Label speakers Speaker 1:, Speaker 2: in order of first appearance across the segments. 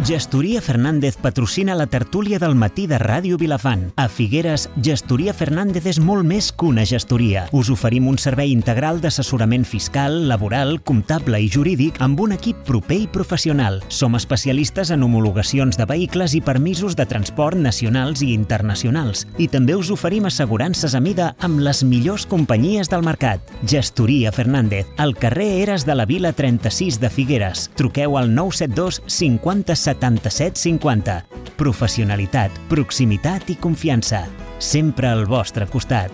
Speaker 1: Gestoria Fernández patrocina la tertúlia del matí de Ràdio Vilafant. A Figueres, Gestoria Fernández és molt més que una gestoria. Us oferim un servei integral d'assessorament fiscal, laboral, comptable i jurídic amb un equip proper i professional. Som especialistes en homologacions de vehicles i permisos de transport nacionals i internacionals. I també us oferim assegurances a mida amb les millors companyies del mercat. Gestoria Fernández, al carrer Eres de la Vila 36 de Figueres. Truqueu al 972 50 77 50. Professionalitat, proximitat i confiança. Sempre al vostre costat.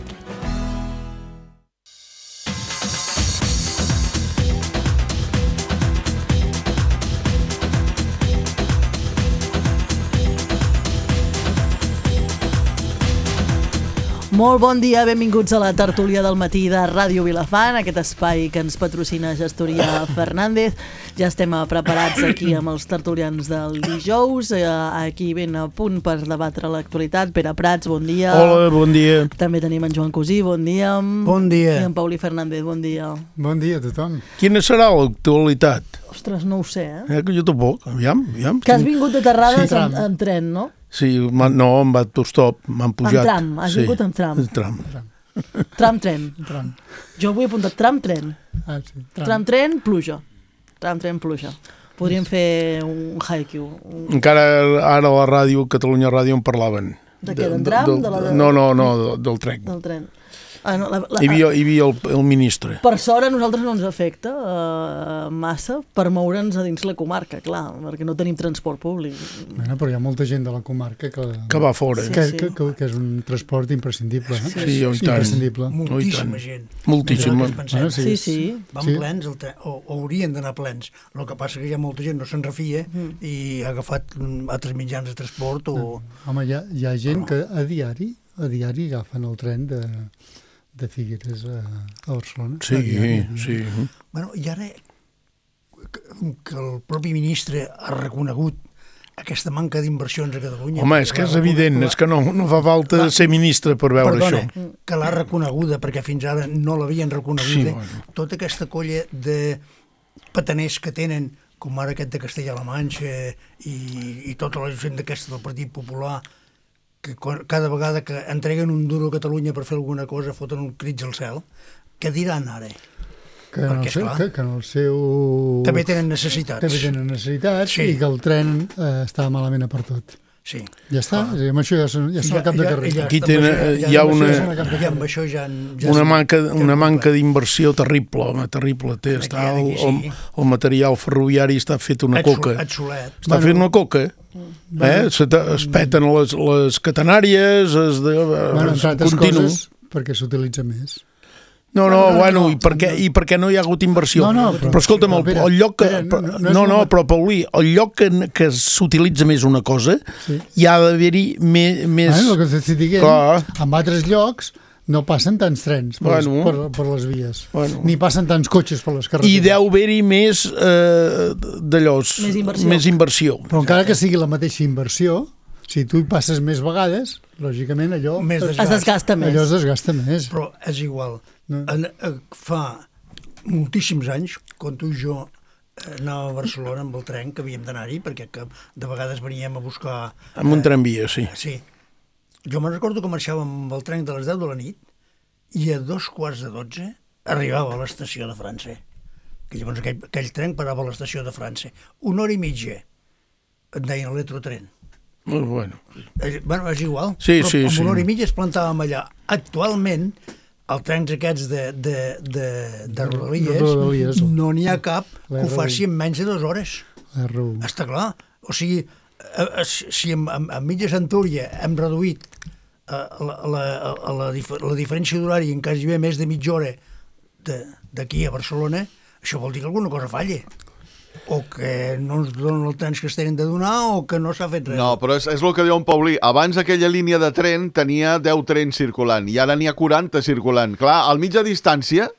Speaker 2: Molt bon dia, benvinguts a la tertúlia del matí de Ràdio Vilafant, aquest espai que ens patrocina Gestoria Fernández. Ja estem preparats aquí amb els tertulians del dijous, aquí ben a punt per debatre l'actualitat. Pere Prats, bon dia.
Speaker 3: Hola, bon dia.
Speaker 2: També tenim en Joan Cosí, bon dia.
Speaker 4: Bon dia.
Speaker 2: I en Paulí Fernández, bon dia.
Speaker 4: Bon dia a tothom.
Speaker 3: Quina serà l'actualitat?
Speaker 2: Ostres, no ho sé,
Speaker 3: Que jo tampoc, aviam.
Speaker 2: Que has vingut de Terrades amb tren, no?
Speaker 3: Sí, no, amb autostop, m'han pujat.
Speaker 2: Amb tram, has vingut amb tram. Tram-tren. Jo vull apuntar tram-tren. Tram-tren, pluja. Tram-tren, pluja. Podríem fer un haiku.
Speaker 3: Encara ara a la ràdio, Catalunya Ràdio, en parlaven.
Speaker 2: De què, d'en tram?
Speaker 3: No, del tren.
Speaker 2: Del tren.
Speaker 3: Hi havia el ministre.
Speaker 2: Per sort a nosaltres no ens afecta massa per moure'ns a dins la comarca, clar, perquè no tenim transport públic.
Speaker 4: Bueno, però hi ha molta gent de la comarca que
Speaker 3: va fora.
Speaker 4: Que és un transport imprescindible.
Speaker 3: Sí, i tant.
Speaker 5: Moltíssima gent.
Speaker 3: Moltíssima.
Speaker 2: Sí.
Speaker 5: Van plens, o haurien d'anar plens. El que passa que hi ha molta gent no se'n refia i ha agafat altres mitjans de transport o...
Speaker 4: Home, hi ha gent que a diari agafen el tren de Figueres a Barcelona.
Speaker 3: Sí.
Speaker 5: Bueno, i ara que el propi ministre ha reconegut aquesta manca d'inversions a Catalunya...
Speaker 3: Home, és que és evident, és que no fa falta ser ministre per veure això.
Speaker 5: Que l'ha reconeguda, perquè fins ara no l'havien reconeguda. Tota aquesta colla de pataners que tenen, com ara aquest de Castella-La Manxa i tota la gent d'aquesta del Partit Popular, que cada vegada que entreguen un duro a Catalunya per fer alguna cosa foten un crits al cel, què diran ara?
Speaker 4: Que en el seu...
Speaker 5: També tenen necessitats.
Speaker 4: I que el tren està malament per tot.
Speaker 5: Sí.
Speaker 4: Ja està, amb això ja són al cap de carrer.
Speaker 3: Aquí hi ha una manca d'inversió terrible, home, terrible. El material ferroviari està fet una coca. Està fet una coca. Es peten les catenàries,
Speaker 4: entre altres coses, perquè s'utilitza més.
Speaker 3: No, i per què no hi ha hagut inversió? Però escolta'm, el lloc que... Però Paulí, el lloc que s'utilitza més una cosa, hi ha d'haver-hi més...
Speaker 4: El que t'estic dient, en altres llocs no passen tants trens per les vies, ni passen tants cotxes per les carreteres.
Speaker 3: I deu haver-hi més d'allòs, més inversió.
Speaker 4: Però encara que sigui la mateixa inversió, si tu hi passes més vegades, lògicament allò
Speaker 2: es desgasta més.
Speaker 5: Però és igual. Fa moltíssims anys, quan tu i jo anàvem a Barcelona amb el tren, que havíem d'anar-hi, perquè de vegades veníem a buscar...
Speaker 3: Amb un tramvia, sí.
Speaker 5: Sí. Jo me'n recordo que marxàvem amb el tren de les 10 de la nit i a 2:45 arribava a l'estació de França. Que llavors aquell tren parava a l'estació de França. 1 hora i mitja en deien l'electrotren.
Speaker 3: Bueno,
Speaker 5: és igual.
Speaker 3: Sí.
Speaker 5: Amb 1 hora i mitja es plantàvem allà. Actualment, els trens aquests de Rodalies no n'hi ha cap que ho faci en menys de 2 hores. Està clar. O sigui, si a mitja centúria hem reduït la diferència d'horari en quasi més de mitja hora d'aquí a Barcelona, això vol dir que alguna cosa falla. O que no ens donen el temps que es tenen de donar o que no s'ha fet res.
Speaker 6: No, però és el que diu en Paulí. Abans aquella línia de tren tenia 10 trens circulant i ara n'hi ha 40 circulant. Clar, al mitja distància,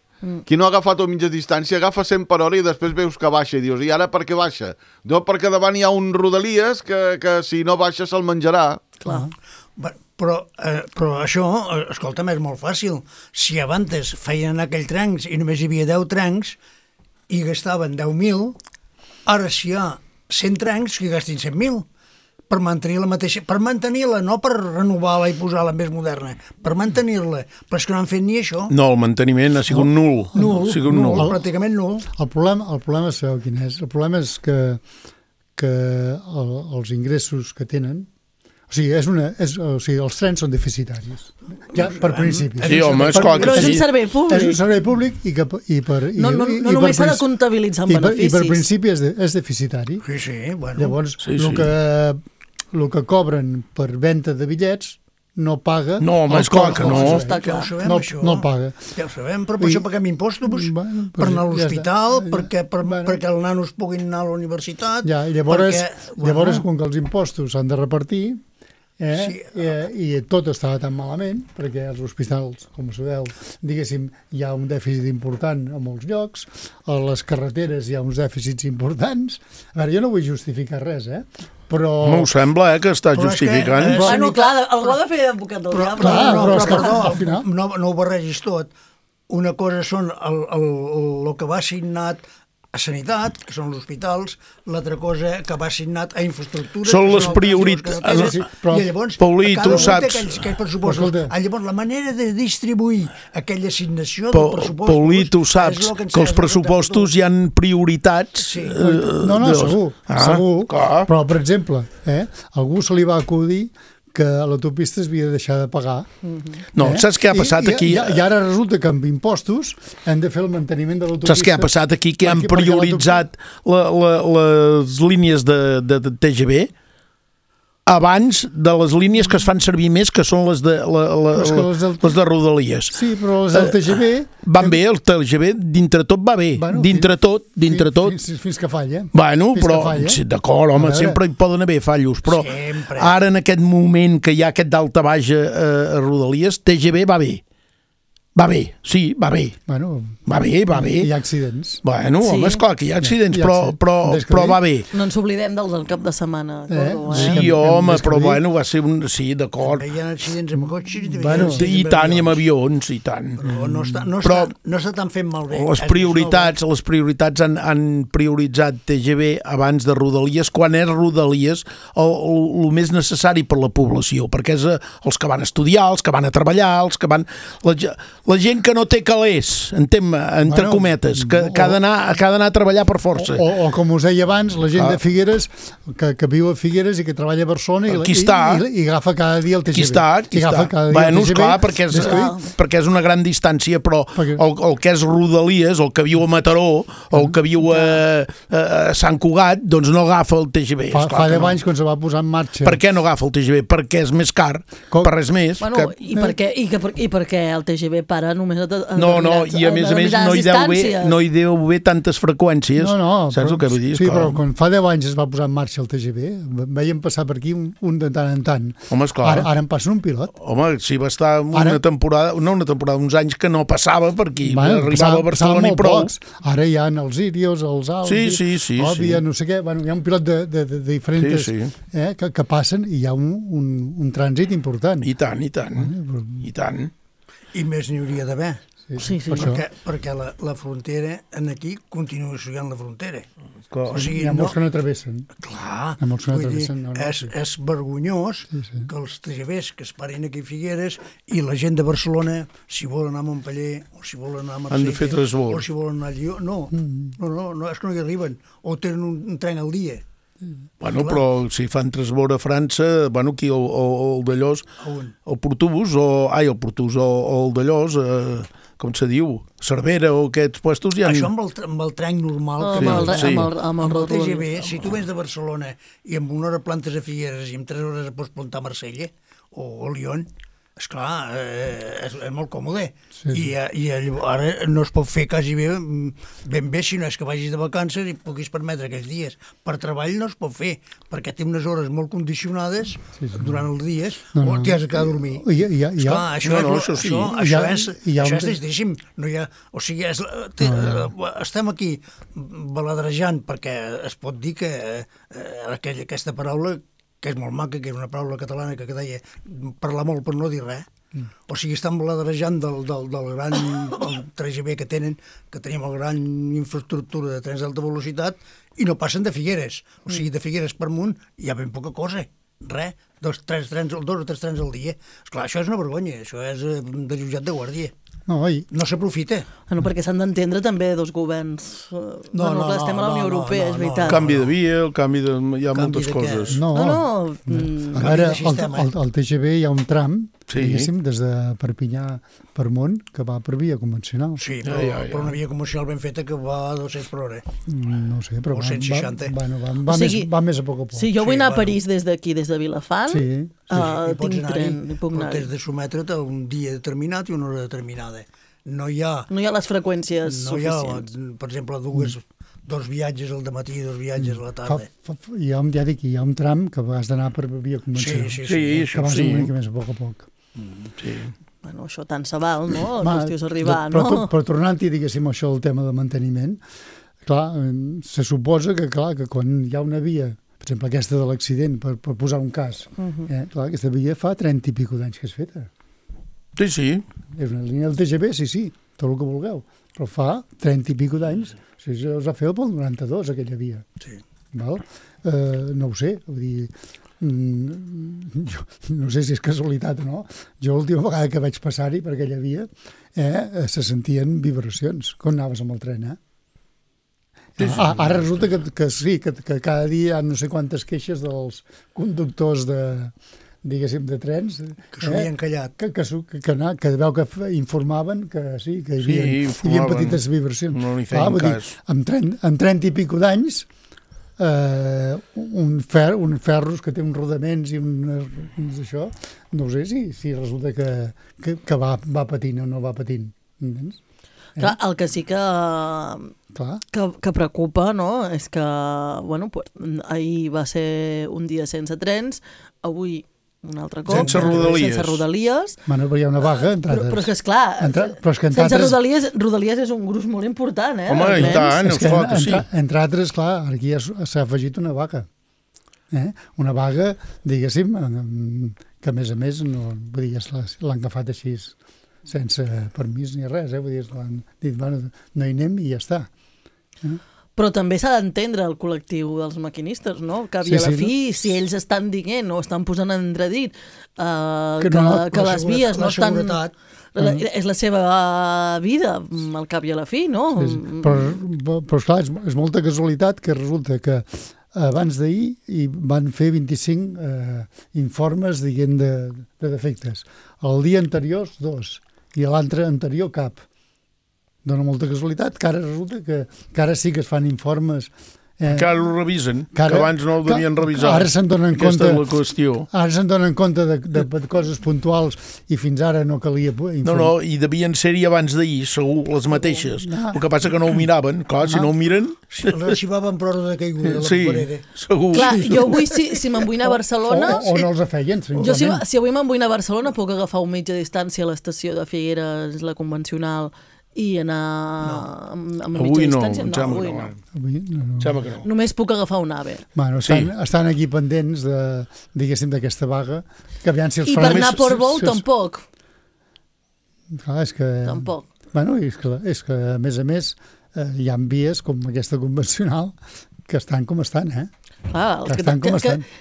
Speaker 6: qui no ha agafat a mitja distància agafa 100 per hora i després veus que baixa i dius, i ara per què baixa? No, perquè davant hi ha un Rodalies que si no baixa se'l menjarà.
Speaker 2: Clar.
Speaker 5: Però això, escolta'm, és molt fàcil. Si abans feien aquells trens i només hi havia 10 trens i gastaven 10.000, ara si hi ha 100 trens que gastin 100.000 per mantenir la mateixa, per mantenir-la, no per renovar-la i posar-la més moderna, per mantenir-la, però és que no han fet ni això.
Speaker 3: No, el manteniment ha sigut nul.
Speaker 5: Nul, pràcticament nul.
Speaker 4: El problema sabeu quin és? El problema és que els ingressos que tenen, o sigui, els trens són deficitaris, ja per principi.
Speaker 3: Sí, home, esclar que
Speaker 2: però és
Speaker 3: sí.
Speaker 2: un servei públic.
Speaker 4: És un servei públic
Speaker 2: no només s'ha de comptabilitzar en beneficis.
Speaker 4: I per principi és deficitari.
Speaker 5: Sí, bueno.
Speaker 4: Llavors, el que cobren per venda de bitllets no paga...
Speaker 3: No, home, esclar que no.
Speaker 5: Ja ho sabem, això.
Speaker 4: No paga.
Speaker 5: Ja ho sabem, però per això paguem impostos, per anar a l'hospital, perquè els nanos puguin anar a la universitat...
Speaker 4: Ja, i llavors, quan els impostos s'han de repartir, i tot estava tan malament, perquè als hospitals, com sabeu, diguéssim, hi ha un dèficit important a molts llocs, a les carreteres hi ha uns dèficits importants. A veure, jo no vull justificar res, però...
Speaker 3: M'ho sembla, que està justificant.
Speaker 2: Bueno, clar, algú ha de fer advocat del diable.
Speaker 5: Però perdó, no ho barregis tot. Una cosa són el que va assignat a sanitat, que són els hospitals, l'altra cosa que va assignat a infraestructures...
Speaker 3: Són les prioritats.
Speaker 5: I llavors,
Speaker 3: Paulí, tu saps...
Speaker 5: aquells pressupostos. Llavors, la manera de distribuir aquella assignació del pressupost...
Speaker 3: Paulí, tu saps que els pressupostos hi ha prioritats...
Speaker 4: No, segur. Però, per exemple, algú se li va acudir que a l'autopista es havia de deixar de pagar.
Speaker 3: No, saps què ha passat aquí?
Speaker 4: I ara resulta que amb impostos hem de fer el manteniment de l'autopista.
Speaker 3: Saps què ha passat aquí? Que han prioritzat les línies de TGV abans de les línies que es fan servir més, que són les de Rodalies.
Speaker 4: Sí, però les del TGV...
Speaker 3: Van bé, el TGV dintre tot va bé. Dintre tot.
Speaker 4: Fins que falla.
Speaker 3: Bueno, però, d'acord, home, sempre hi poden haver fallos, però ara en aquest moment que hi ha aquest dalta baix a Rodalies, TGV va bé. Va bé, sí, va bé.
Speaker 4: Bueno,
Speaker 3: va bé.
Speaker 4: Hi ha accidents.
Speaker 3: Bueno, home, esclar que hi ha accidents, però va bé.
Speaker 2: No ens oblidem del cap de setmana.
Speaker 3: Sí, home, però bueno, va ser un... Sí, d'acord.
Speaker 5: Hi ha accidents amb cotxes
Speaker 3: i tant, i amb avions, i tant.
Speaker 5: Però no està tan fent malbé.
Speaker 3: Les prioritats han prioritzat TGV abans de Rodalies, quan és Rodalies el més necessari per la població, perquè és els que van estudiar, els que van a treballar, els que van... La gent que no té calés, entre cometes, que ha d'anar a treballar per força.
Speaker 4: O com us deia abans, la gent de Figueres, que viu a Figueres i que treballa a Barcelona i agafa cada dia el TGV.
Speaker 3: Aquí està. Bueno, esclar, perquè és una gran distància, però el que és Rodalies, el que viu a Mataró, o el que viu a Sant Cugat, doncs no agafa el TGV.
Speaker 4: Fa 10 anys quan se va posar en marxa.
Speaker 3: Per què no agafa el TGV? Perquè és més car, per res més.
Speaker 2: I perquè el TGV para només a
Speaker 3: i a més no hi deu haver tantes freqüències. Saps el que vull dir?
Speaker 4: Sí, però quan fa 10 anys es va posar en marxa el TGV, veiem passar per aquí un de tant en tant.
Speaker 3: Home, esclar.
Speaker 4: Ara en passa un pilot.
Speaker 3: Home, sí, va estar una temporada, uns anys que no passava per aquí. Arribava a Barcelona i prou.
Speaker 4: Ara hi ha els Irios, els Albi, Òbvia, no sé què. Hi ha un pilot de diferents que passen i hi ha un trànsit important.
Speaker 3: I tant.
Speaker 5: I més n'hi hauria d'haver.
Speaker 2: Sí.
Speaker 5: Perquè la frontera aquí continua sent la frontera.
Speaker 4: O sigui, hi ha molts que no travessen.
Speaker 5: Clar, és vergonyós que els TGVs que es parin aquí a Figueres i la gent de Barcelona, si volen anar a Montpeller o si volen anar a Marsella o si volen anar a Lió, no, és que no hi arriben, o tenen un tren al dia.
Speaker 3: Bueno, però si fan transbord a França, aquí el d'Allós, el Portús, o el d'Allós, com se diu, Cervera o aquests puestos ja...
Speaker 5: Això amb el tren normal, amb el TGV, si tu vens de Barcelona i amb 1 hora plantes a Figueres i en 3 hores pots plantar a Marsella o a Lyon, esclar, és molt còmode. I ara no es pot fer quasi ben bé si no és que vagis de vacances i puguis permetre aquells dies. Per treball no es pot fer, perquè té unes hores molt condicionades durant els dies o t'hi has de quedar a dormir. Esclar, això és tristíssim. O sigui, estem aquí baladrejant perquè es pot dir que aquesta paraula que és molt maca, que és una paraula catalana que deia parlar molt per no dir res. O sigui, estan baladrejant del gran el TGV que tenim el gran infraestructura de trens d'alta velocitat i no passen de Figueres. O sigui, de Figueres per amunt hi ha ben poca cosa. Res, dos o tres trens al dia. Esclar, això és una vergonya, això és de jutjat de guàrdia. No s'aprofita.
Speaker 2: No, perquè s'han d'entendre també dos governs. Estem a la Unió Europea, és veritat.
Speaker 3: El canvi de via, hi ha moltes coses.
Speaker 4: A veure, al TGV hi ha un tram, diguéssim, des de Perpinyà per Mont, que va per via convencional.
Speaker 5: Sí, però una via convencional ben feta que va a 200 per hora.
Speaker 4: No sé, però
Speaker 5: o 160.
Speaker 4: Va més a poc a poc.
Speaker 2: Si jo vull anar a París des d'aquí, des de Vilafant, tinc tren.
Speaker 5: Però t'has de sometre't a un dia determinat i una hora determinada. No hi ha
Speaker 2: les freqüències suficients.
Speaker 5: Per exemple, dos viatges al matí i dos viatges a la tarda.
Speaker 4: Ja dic, hi ha un tram que has d'anar per via convencional.
Speaker 5: Sí,
Speaker 4: que vas una mica més a poc a poc.
Speaker 3: Sí.
Speaker 2: Bueno, això tant se val, no? La qüestió és arribar, no?
Speaker 4: Però tornant-hi, diguéssim, això del tema de manteniment, clar, se suposa que quan hi ha una via, per exemple, aquesta de l'accident, per posar un cas, clar, aquesta via fa 30 i pico d'anys que és feta.
Speaker 3: Sí.
Speaker 4: És una línia del TGV, sí, tot el que vulgueu, però fa 30 i pico d'anys, es va fer pel 92, aquella via.
Speaker 5: Sí.
Speaker 4: Val? No ho sé, vull dir, jo no sé si és casualitat o no, jo l'última vegada que vaig passar-hi per aquella via se sentien vibracions quan anaves amb el tren, Ara resulta que sí, que cada dia hi ha no sé quantes queixes dels conductors diguéssim, de trens
Speaker 5: que s'havien callat
Speaker 4: que veu que informaven que sí, que hi havia petites vibracions.
Speaker 3: No li feien cas.
Speaker 4: Amb 30 i pico d'anys un ferros que té uns rodaments i això, no sé si resulta que va patint o no va patint, entens?
Speaker 2: Clar, el que sí que preocupa, no?, és que, bueno, ahir va ser un dia sense trens, avui un altre cop.
Speaker 3: Sense
Speaker 2: Rodalies.
Speaker 4: Bueno, però hi ha una vaga,
Speaker 2: però és que, esclar, sense Rodalies és un gruix molt important,
Speaker 3: Home, i tant, esclar que sí.
Speaker 4: Entre altres, clar, aquí s'ha afegit una vaga. Una vaga, diguéssim, que a més, vull dir, l'han agafat així sense permís ni res, vull dir, l'han dit, bueno, no hi anem i ja està.
Speaker 2: Però també s'ha d'entendre el col·lectiu dels maquinistes, no? Que a la fi, si ells estan dient o estan posant en entredit que les vies no estan... És la seva vida, al cap i a la fi, no?
Speaker 4: Però esclar, és molta casualitat que resulta que abans d'ahir van fer 25 informes, diguem, de defectes. El dia anterior, 2, i l'altre anterior, cap. Dóna molta casualitat que ara resulta que ara sí que es fan informes.
Speaker 3: Que ara ho revisen, que abans no ho devien revisar.
Speaker 4: Ara se'n donen compte.
Speaker 3: Aquesta és la qüestió.
Speaker 4: Ara se'n donen compte de coses puntuals i fins ara no calia informar.
Speaker 3: No, i devien ser-hi abans d'ahir, segur, les mateixes. El que passa que no ho miraven. Clar, si no ho miren...
Speaker 5: L'arxivaven per hora de caiguda de la paperera.
Speaker 3: Sí, segur.
Speaker 2: Clar, jo avui, si me'n vull anar a Barcelona...
Speaker 4: O no els feien,
Speaker 2: jo si avui me'n vull anar a Barcelona puc agafar un mitja distància a l'estació de Figueres, la convencional, i anar amb mitja distància?
Speaker 3: Avui no.
Speaker 2: Només puc agafar un AVE.
Speaker 4: Bueno, estan aquí pendents diguéssim, d'aquesta vaga.
Speaker 2: I per anar a Portbou tampoc.
Speaker 4: Clar, és que...
Speaker 2: Tampoc.
Speaker 4: Bueno, és que a més, hi ha vies com aquesta convencional que estan com estan,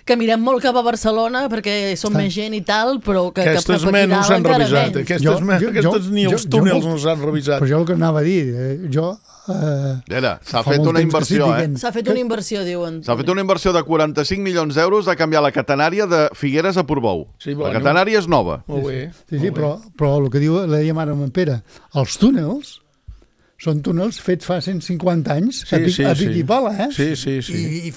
Speaker 2: que mirem molt cap a Barcelona perquè som més gent i tal, però que
Speaker 3: aquestes no s'han revisat. Aquestes ni els túnels no s'han revisat.
Speaker 4: Però jo el que anava a dir,
Speaker 6: s'ha fet una inversió,
Speaker 2: S'ha fet una inversió, diuen.
Speaker 6: S'ha fet una inversió de 45 milions d'euros de canviar la catenària de Figueres a Portbou. La catenària és nova.
Speaker 3: Molt bé.
Speaker 4: Sí, però el que diu la dèiem ara amb en Pere, els túnels són túnels fets fa 150 anys a pic i pala,
Speaker 3: Sí.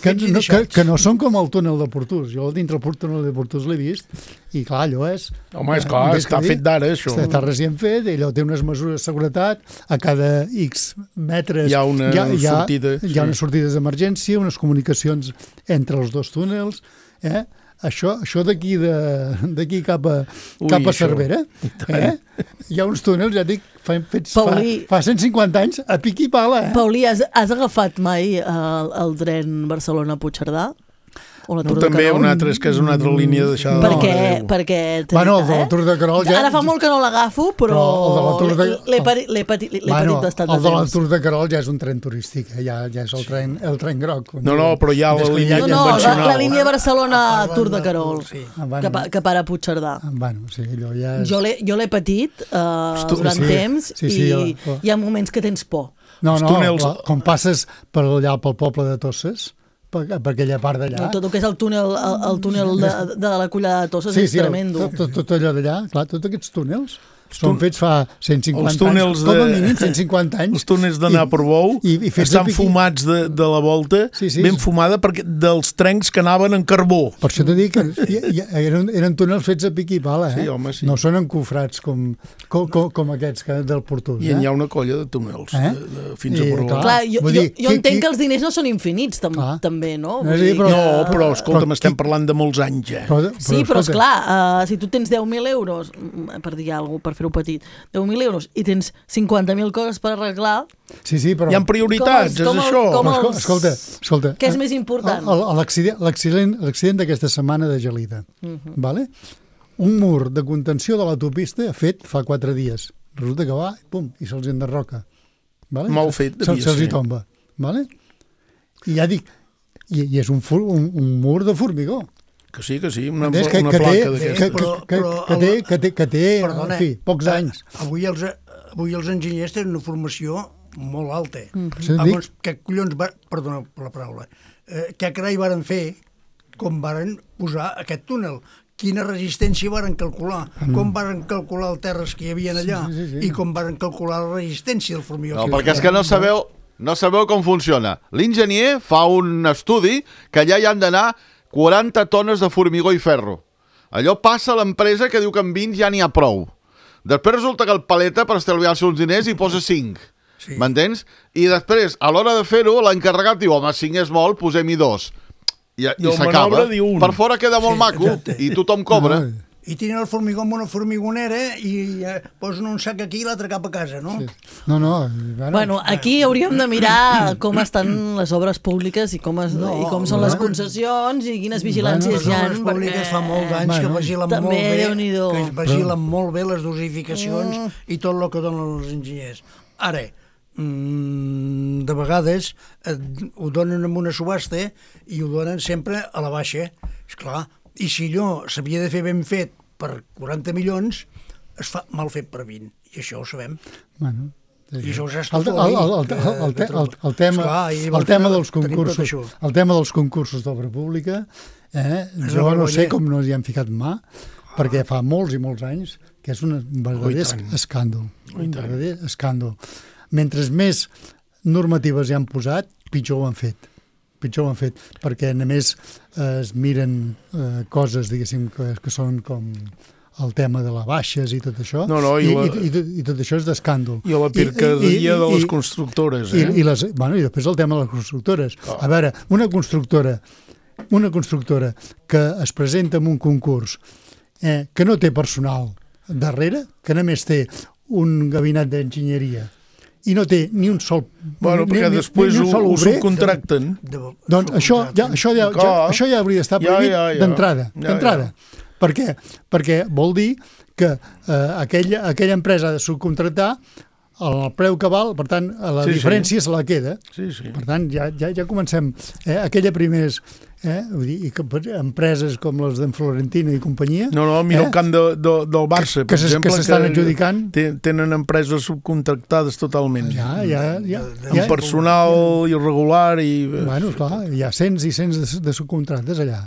Speaker 4: Que no són com el túnel de Portús. Jo dintre el túnel de Portús l'he vist i clar, allò és...
Speaker 3: Home, és clar, està fet d'ara, això.
Speaker 4: Està recient fet, allò té unes mesures de seguretat, a cada X metres
Speaker 3: hi ha una sortida.
Speaker 4: Hi ha unes sortides d'emergència, unes comunicacions entre els dos túnels, Això d'aquí cap a Cervera, hi ha uns túnels, ja dic, fets fa 150 anys, a pic i pala.
Speaker 2: Paulí, has agafat mai el tren Barcelona-Puigcerdà? O la Tour de
Speaker 3: també
Speaker 2: Carol.
Speaker 3: una altra, és que és una altra línia deixada de
Speaker 2: Perquè
Speaker 4: bueno, el de la Tour de Carol ja...
Speaker 2: Ara fa molt que no l'agafo, però
Speaker 4: el de la Tour de...
Speaker 2: l'he patit bastant de
Speaker 4: el de la
Speaker 2: temps.
Speaker 4: Tour de Carol ja és un tren turístic, ja és el tren groc.
Speaker 3: No, però hi ha la línia convencional.
Speaker 2: La línia Barcelona-Tour de Carol,
Speaker 4: bueno,
Speaker 2: que para a Puigcerdà.
Speaker 4: Bueno, sí, allò ja és...
Speaker 2: Jo l'he patit durant temps i hi ha moments que tens por.
Speaker 4: No, com passes per allà pel poble de Tosses, per aquella part d'allà...
Speaker 2: Tot el que és el túnel de la Collada de Tosses és tremendo.
Speaker 4: Tot allò d'allà, clar, tots aquests túnels són fets fa 150 anys, com a mínim 150 anys.
Speaker 3: Els túnels d'anar per Bou estan fumats de la volta, ben fumada, perquè dels trens que anaven en carbó.
Speaker 4: Per això t'he dit que eren túnels fets a pic i pala,
Speaker 3: Sí, home, sí.
Speaker 4: No són encofrats com aquests del Portús.
Speaker 3: I hi ha una colla de túnels fins a Portó.
Speaker 2: Clar, jo entenc que els diners no són infinits, també, no?
Speaker 3: No, però escolta'm, estem parlant de molts anys,
Speaker 2: Sí, però esclar, si tu tens 10.000 euros, per dir alguna cosa, per fer-ho petit, 10.000 euros i tens 50.000 coses per arreglar...
Speaker 4: Sí, però...
Speaker 3: Hi ha prioritats, és això.
Speaker 4: Escolta.
Speaker 2: Què és més important?
Speaker 4: L'accident d'aquesta setmana de Gelida, vale? Un mur de contenció de l'autopista fet fa 4 dies. Resulta que va, i se'ls enderroca. Vale?
Speaker 3: Mal fet, devia ser.
Speaker 4: Se'ls hi tomba. Vale? I ja dic, i és un mur de formigó.
Speaker 3: Que sí, una placa d'aquestes.
Speaker 4: Que té, en fi, pocs anys.
Speaker 5: Avui els enginyers tenen una formació molt alta.
Speaker 4: Llavors,
Speaker 5: què collons... Perdona per la paraula. Què carai varen fer com varen posar aquest túnel? Quina resistència varen calcular? Com varen calcular els terres que hi havia allà? I com varen calcular la resistència del formigó?
Speaker 6: No, perquè és que no sabeu com funciona. L'enginyer fa un estudi que allà hi han d'anar 40 tones de formigó i ferro. Allò passa a l'empresa que diu que amb 20 ja n'hi ha prou. Després resulta que el paleta, per estalviar-se uns diners, hi posa 5. Sí. M'entens? I després, a l'hora de fer-ho, l'encarregat diu, home, 5 és molt, posem-hi 2. I s'acaba. Per fora queda molt maco i tothom cobra.
Speaker 5: I tenen el formigó amb una formigonera i posen un sac aquí i l'altre cap a casa, no?
Speaker 4: Sí.
Speaker 2: Bueno, aquí hauríem de mirar com estan les obres públiques i com són les concessions i quines vigilàncies hi ha.
Speaker 5: Les obres públiques fa molts anys que vigilen molt bé les dosificacions i tot el que donen els enginyers. Ara, de vegades ho donen en una subhasta i ho donen sempre a la baixa. Esclar, i si allò s'havia de fer ben fet per 40 milions, es fa mal fet per 20, i això ho sabem.
Speaker 4: Bueno,
Speaker 5: i això s'ha
Speaker 4: el tema dels concursos d'obra pública, jo no sé com no hi han ficat mà, perquè fa molts i molts anys que és un verdader escàndol. Un verdader escàndol. Mentre més normatives hi han posat, pitjor ho han fet. Perquè només es miren coses, diguéssim, que són com el tema de les baixes i tot això, i tot això és d'escàndol.
Speaker 3: I la pircaderia de les constructores.
Speaker 4: I després el tema de les constructores. A veure, una constructora que es presenta en un concurs que no té personal darrere, que només té un gabinet d'enginyeria, i no té ni un sol...
Speaker 3: Bueno, perquè després ho subcontracten.
Speaker 4: Doncs això ja hauria d'estar prohibit d'entrada. Per què? Perquè vol dir que aquella empresa ha de subcontractar el preu que val, per tant, la diferència se la queda. Per tant, ja comencem. Aquella primers... Vull dir, empreses com les d'en Florentino i companyia...
Speaker 3: Mira el camp del Barça, per exemple,
Speaker 4: que s'estan adjudicant.
Speaker 3: Tenen empreses subcontractades totalment.
Speaker 4: Amb
Speaker 3: personal irregular i...
Speaker 4: Bueno, clar, hi ha cents i cents de subcontractes allà.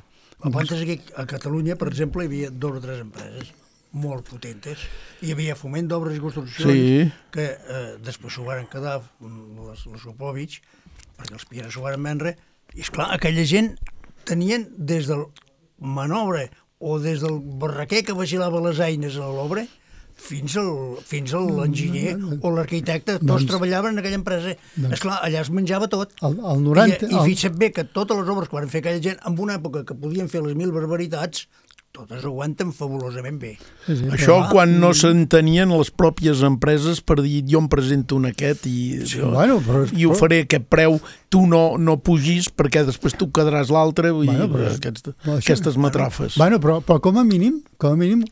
Speaker 5: Abans aquí a Catalunya, per exemple, hi havia 2 o 3 empreses molt potentes. Hi havia Foment d'Obres i Construccions, que després s'ho van quedar les Sopovich, perquè els Piera s'ho van vendre, i esclar, aquella gent tenien des del manobre o des del barraquer que vigilava les eines a l'obra fins a l'enginyer o l'arquitecte, tots treballaven en aquella empresa. Esclar, allà es menjava tot. I fixa't bé que totes les obres que van fer aquella gent, en una època que podien fer les 1000 barbaritats, totes aguanten fabulosament bé.
Speaker 3: Això quan no s'entenien les pròpies empreses per dir jo em presento en aquest i ho faré a aquest preu, tu no pugis perquè després tu quedaràs l'altre, aquestes matrafes.
Speaker 4: Però com a mínim,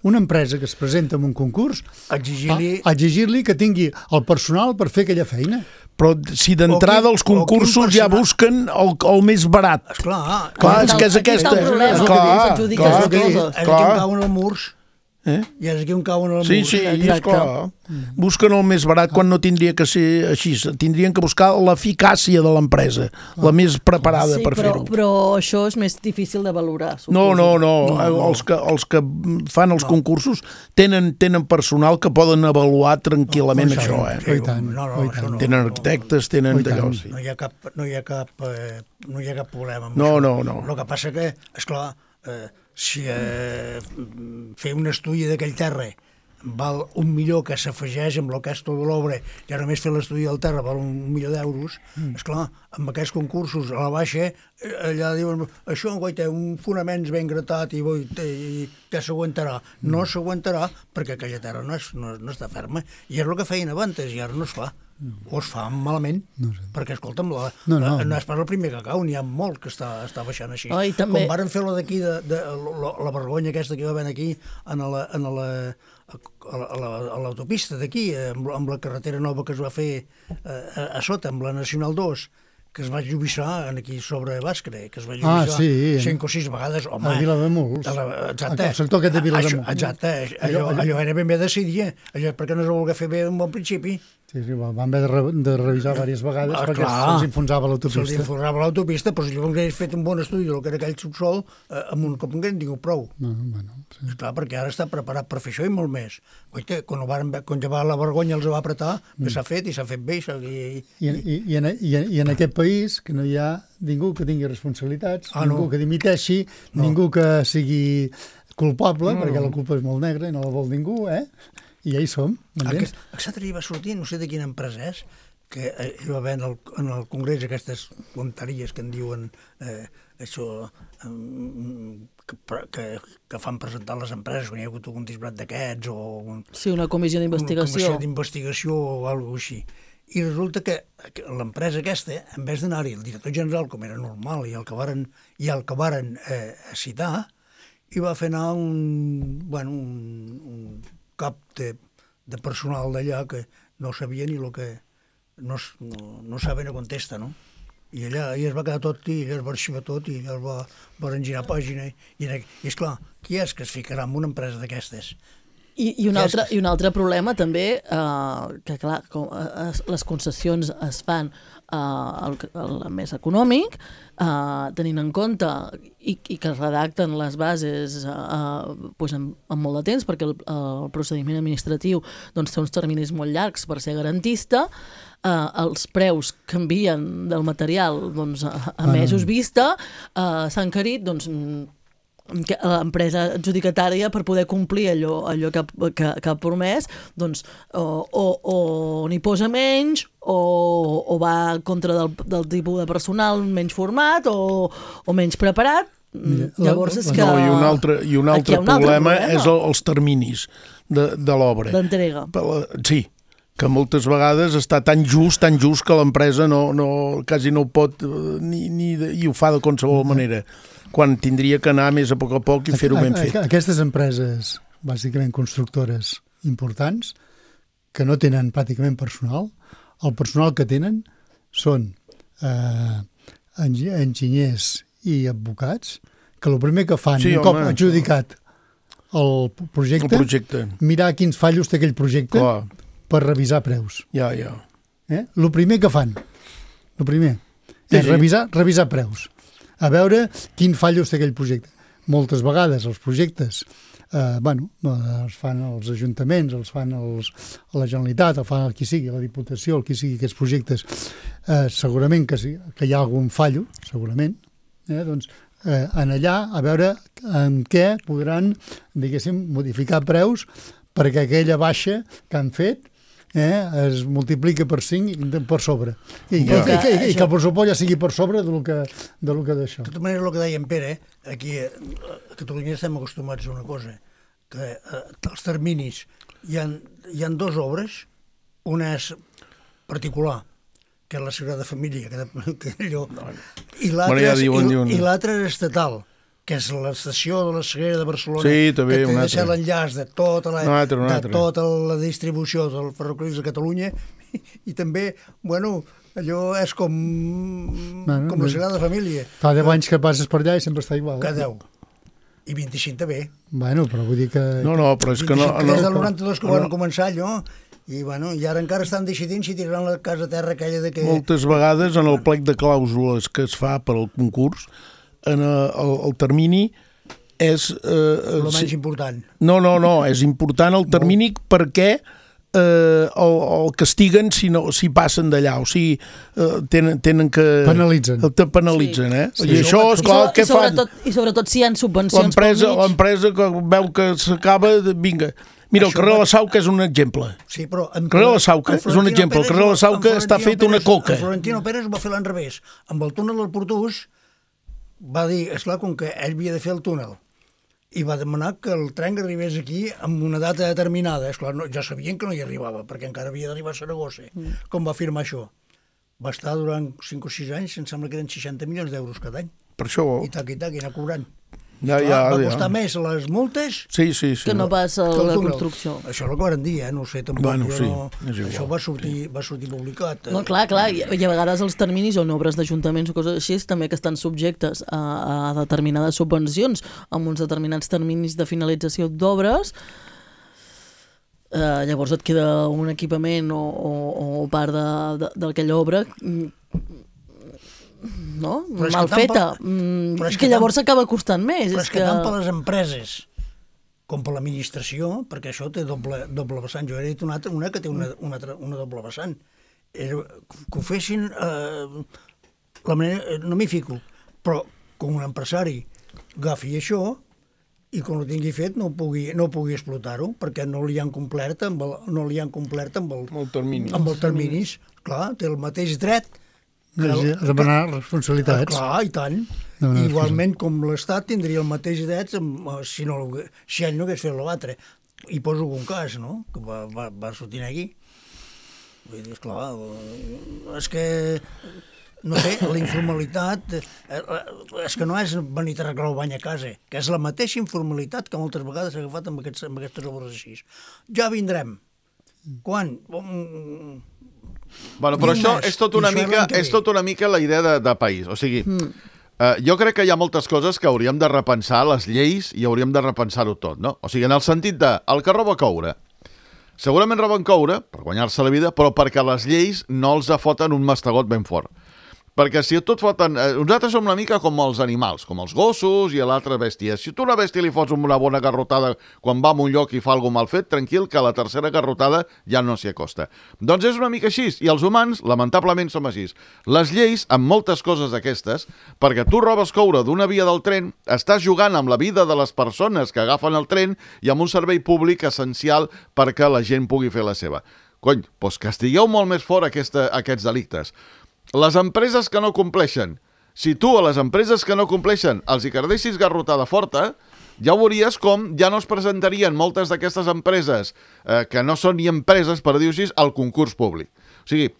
Speaker 4: una empresa que es presenta en un concurs, exigir-li que tingui el personal per fer aquella feina.
Speaker 3: Però si d'entrada els concursos ja busquen el més barat.
Speaker 5: Esclar,
Speaker 3: és que és aquesta.
Speaker 5: És aquí on cauen els murs. I és aquí on cauen els murs.
Speaker 3: Sí, esclar. Busquen el més barat quan no tindria que ser així. Tindrien que buscar l'eficàcia de l'empresa, la més preparada per fer-ho.
Speaker 2: Però això és més difícil de valorar.
Speaker 3: No. Els que fan els concursos tenen personal que poden avaluar tranquil·lament això. Tenen arquitectes, tenen d'allò.
Speaker 5: No hi ha cap problema amb
Speaker 3: això. No.
Speaker 5: El que passa que, esclar, si fer un estudi d'aquell terra val $1.000.000 que s'afegeix amb el que és tota l'obra, ja només fer l'estudi del terra val $1.000.000, esclar, amb aquests concursos a la baixa, allà diuen, això té un fonaments ben gratat i ja s'aguantarà. No s'aguantarà perquè aquella terra no està ferma. I és el que feien abans, i ara no es fa. O es fa malament, perquè, escolta'm, no és pas el primer que cau, n'hi ha molt que està baixant així. Com varen fer la d'aquí, la vergonya aquesta que hi va haver aquí, a l'autopista d'aquí, amb la carretera nova que es va fer a sota, amb la Nacional 2, que es va lluïssar aquí sobre Bàscara, que es va lluïssar 5 o 6 vegades.
Speaker 4: A Vilademuls.
Speaker 5: Exacte.
Speaker 4: El sector aquest de Vilademuls.
Speaker 5: Exacte. Allò era ben bé decidir. Allò perquè no es va voler fer bé en bon principi.
Speaker 4: Sí, van haver de revisar diverses vegades perquè se'ls enfonsava l'autopista.
Speaker 5: Se'ls enfonsava l'autopista, però si llavors hagués fet un bon estudi del que era aquell subsol, amb un cop en hagués tingut prou. Esclar, perquè ara està preparat per fer això i molt més. Quan ja va la vergonya els va apretar, s'ha fet i s'ha fet bé.
Speaker 4: I en aquest país que no hi ha ningú que tingui responsabilitats, ningú que dimiteixi, ningú que sigui culpable, perquè la culpa és molt negra i no la vol ningú, i ja hi som.
Speaker 5: Aquest va sortir, no sé de quina empresa és, que hi va haver en el Congrés aquestes tonteries que en diuen això que fan presentar les empreses quan hi ha hagut algun disbrat d'aquests o...
Speaker 2: Sí, una comissió d'investigació.
Speaker 5: Una comissió d'investigació o alguna cosa així. I resulta que l'empresa aquesta, en vez d'anar-hi el director general, com era normal, i el que varen citar, hi va fer anar un cap de personal d'allà que no sabia ni el que... no saben a contesta, no? I allà es va quedar tot, i allà es va arxivar tot, i allà es va engirar pàgina. I esclar, qui és que es ficarà en una empresa d'aquestes?
Speaker 2: I un altre problema també, que clar, les concessions es fan el més econòmic, tenint en compte i que es redacten les bases amb molt de temps, perquè el procediment administratiu té uns terminis molt llargs per ser garantista, els preus canvien del material a mesos vista, s'ha encarit l'empresa adjudicatària per poder complir allò que ha promès, o n'hi posa menys o va en contra del tipus de personal menys format o menys preparat. Llavors és que...
Speaker 3: I un altre problema és els terminis de l'obra.
Speaker 2: D'entrega.
Speaker 3: Sí, que moltes vegades està tan just que l'empresa quasi no ho pot i ho fa de qualsevol manera, quan tindria que anar més a poc i fer-ho ben fet.
Speaker 4: Aquestes empreses, bàsicament constructores importants, que no tenen pràcticament personal, el personal que tenen són enginyers i advocats, que el primer que fan, un cop adjudicat el projecte, mirar quins fallos té aquell projecte per revisar preus. El primer que fan, és revisar preus, a veure quin fallos té aquell projecte. Moltes vegades els projectes els fan els ajuntaments, els fan la Generalitat, el fan el qui sigui, la Diputació, el qui sigui aquests projectes, segurament que hi ha algun fallo, segurament, doncs en allà a veure en què podran, diguéssim, modificar preus perquè aquella baixa que han fet es multiplica per 5 per sobre. I que el pressupost ja sigui per sobre del que d'això.
Speaker 5: De tota manera, el que deia en Pere, aquí a Catalunya estem acostumats a una cosa, que els terminis, hi ha dues obres, una és particular, que és la Sagrada Família, i l'altra és estatal, que és l'estació de la Sagrera de Barcelona, que té de ser l'enllaç de tota la distribució del ferrocarrils de Catalunya, i també, allò és com la Sagrada Família.
Speaker 4: Fa 10 anys que passes per allà i sempre està igual.
Speaker 5: Que 10. I 25 també.
Speaker 4: Però vull dir que...
Speaker 3: No, però és que no...
Speaker 5: Des del 92 que van començar allò, i ara encara estan decidint si tiraran la casa terra aquella de que...
Speaker 3: Moltes vegades en el plec de clàusules que es fa per al concurs, el termini és...
Speaker 5: el menys important.
Speaker 3: No, és important el termini perquè el castiguen si passen d'allà, o sigui, tenen que... Penalitzen, eh? I això, esclar, què fan?
Speaker 2: I sobretot si hi ha subvencions
Speaker 3: l'empresa que veu que s'acaba, vinga... Mira, el carrer de la Sauca és un exemple.
Speaker 5: Sí, però...
Speaker 3: El carrer de la Sauca és un exemple. El carrer de la Sauca està fet una coca.
Speaker 5: El Florentino Pérez ho va fer l'an revés. Amb el túnel del Portús va dir, esclar, com que ell havia de fer el túnel, i va demanar que el tren arribés aquí amb una data determinada. Esclar, ja sabien que no hi arribava, perquè encara havia d'arribar a Saragossa. Com va afirmar això? Va estar durant 5 o 6 anys, em sembla que eren 60 milions d'euros cada any.
Speaker 3: Per això...
Speaker 5: I anar cobrant.
Speaker 3: Va
Speaker 5: costar més les multes
Speaker 2: que no pas la construcció.
Speaker 5: Això és el que van dir, no ho sé, tampoc. Això va sortir publicat.
Speaker 2: No, clar, i a vegades els terminis o en obres d'ajuntaments o coses així també que estan subjectes a determinades subvencions amb uns determinats terminis de finalització d'obres. Llavors et queda un equipament o part d'aquella obra mal feta, que llavors s'acaba costant més.
Speaker 5: Però és que tant per les empreses com per l'administració, perquè això té doble vessant. Jo he dit una que té una doble vessant. Que ho fessin... la manera, no m'hi fico, però com un empresari agafi això i quan ho tingui fet no pugui explotar-ho, perquè no li han complert amb els terminis. Clar, té el mateix dret
Speaker 4: a demanar responsabilitats.
Speaker 5: Clar, i tant. Igualment com l'Estat tindria el mateix dret si ell no hagués fet l'altre. I poso un cas, no?, que va sortir aquí. Vull dir, esclar, és que, no sé, la informalitat, és que no és venir a arreglar el bany a casa, que és la mateixa informalitat que moltes vegades s'ha agafat amb aquestes obres així. Ja vindrem. Quan?
Speaker 6: Però això és tot una mica la idea de país. O sigui, jo crec que hi ha moltes coses que hauríem de repensar, les lleis, i hauríem de repensar-ho tot, no? O sigui, en el sentit de, el que roba coure. Segurament roben coure per guanyar-se la vida, però perquè les lleis no els foten un mastegot ben fort. Perquè si tot foten... Nosaltres som una mica com els animals, com els gossos i l'altra bèstia. Si tu a una bèstia li fots una bona garrotada quan va a un lloc i fa alguna mal fet, tranquil, que la tercera garrotada ja no s'hi acosta. Doncs és una mica així, i els humans, lamentablement, som així. Les lleis, amb moltes coses d'aquestes, perquè tu robes coure d'una via del tren, estàs jugant amb la vida de les persones que agafen el tren i amb un servei públic essencial perquè la gent pugui fer la seva. Cony, doncs castigueu molt més fort aquests delictes. Les empreses que no compleixen, si tu a les empreses que no compleixen els hi cardessis garrotada forta, ja veuries com ja no es presentarien moltes d'aquestes empreses que no són ni empreses, per dir-ho així, al concurs públic. O sigui,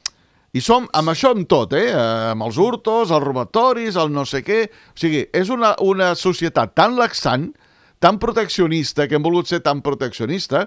Speaker 6: i som amb això amb tot, amb els hurtos, els robatoris, el no sé què. O sigui, és una societat tan laxant, tan proteccionista, que hem volgut ser tan proteccionista.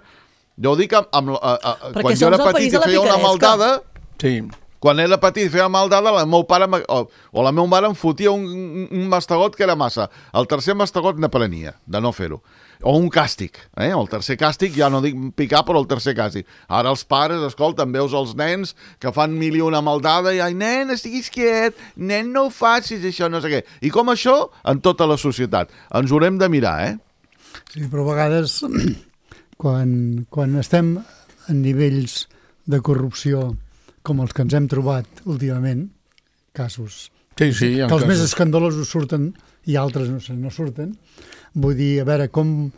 Speaker 6: Jo ho dic quan jo era petit i feia una maldada...
Speaker 3: Sí.
Speaker 6: Quan era petit i feia maldada, el meu pare o la meva mare em fotia un mastegot que era massa. El tercer mastegot n'aprenia, de no fer-ho. O un càstig. El tercer càstig, ja no dic picar, però el tercer càstig. Ara els pares, escolta, veus els nens que fan mil i una maldada i, ai, nen, estiguis quiet, nen, no ho facis, això, no sé què. I com això, en tota la societat. Ens ho haurem de mirar,
Speaker 4: Sí, però a vegades, quan estem en nivells de corrupció com els que ens hem trobat últimament, casos
Speaker 3: que
Speaker 4: els més escandalosos surten i altres no surten. Vull dir, a veure, com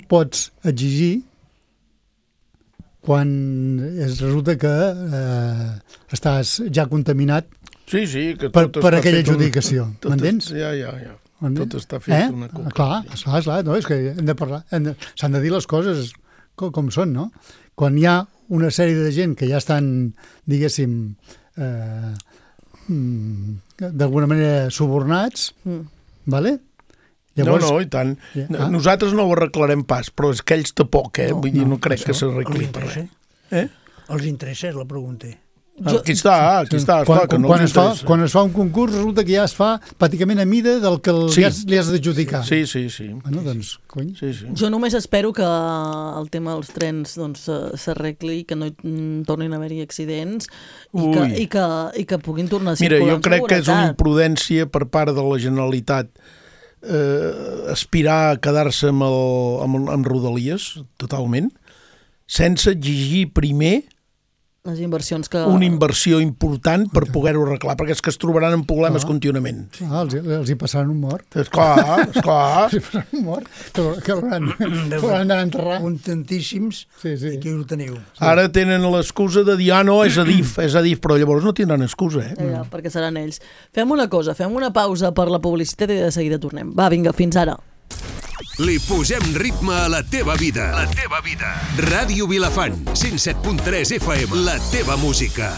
Speaker 4: pots exigir quan resulta que estàs ja contaminat
Speaker 3: Sí, que
Speaker 4: per aquella adjudicació. M'entens?
Speaker 3: Ja. Tot està fet una coca.
Speaker 4: Clar, no, és que hem de parlar, s'han de dir les coses com són, no? Quan hi ha una sèrie de gent que ja estan, diguéssim, d'alguna manera subornats, vale?
Speaker 3: Llavors, no, i tant. Nosaltres no ho arreglarem pas, però és que ells tampoc, Vull dir, no crec que s'arregli per res.
Speaker 5: Els interessa, és la pregunta.
Speaker 3: Aquí està, esclar, que no els interessa.
Speaker 4: Quan es fa un concurs resulta que ja es fa pràcticament a mida del que li has d'adjudicar.
Speaker 3: Sí.
Speaker 4: Bueno, doncs, cony.
Speaker 3: Sí.
Speaker 2: Jo només espero que el tema dels trens s'arregli, que no tornin a haver-hi accidents i que puguin tornar a circular.
Speaker 3: Mira, jo crec que és una imprudència per part de la Generalitat aspirar a quedar-se amb Rodalies, totalment, sense exigir primer
Speaker 2: les inversions que...
Speaker 3: una inversió important per poder-ho arreglar, perquè és que es trobaran en problemes contínuament.
Speaker 4: Els hi passaran un mort.
Speaker 3: Esclar.
Speaker 4: Els hi passaran un mort, que hauran d'anar a enterrar.
Speaker 5: Un tantíssims, aquí ho teniu.
Speaker 3: Ara tenen l'excusa de dir, no, és Adif, però llavors no tindran excusa,
Speaker 2: perquè seran ells. Fem una cosa, fem una pausa per la publicitat i de seguida tornem. Va, vinga, fins ara.
Speaker 7: Li posem ritme a la teva vida. La teva vida. Ràdio Vilafant, 107.3 FM. La teva música.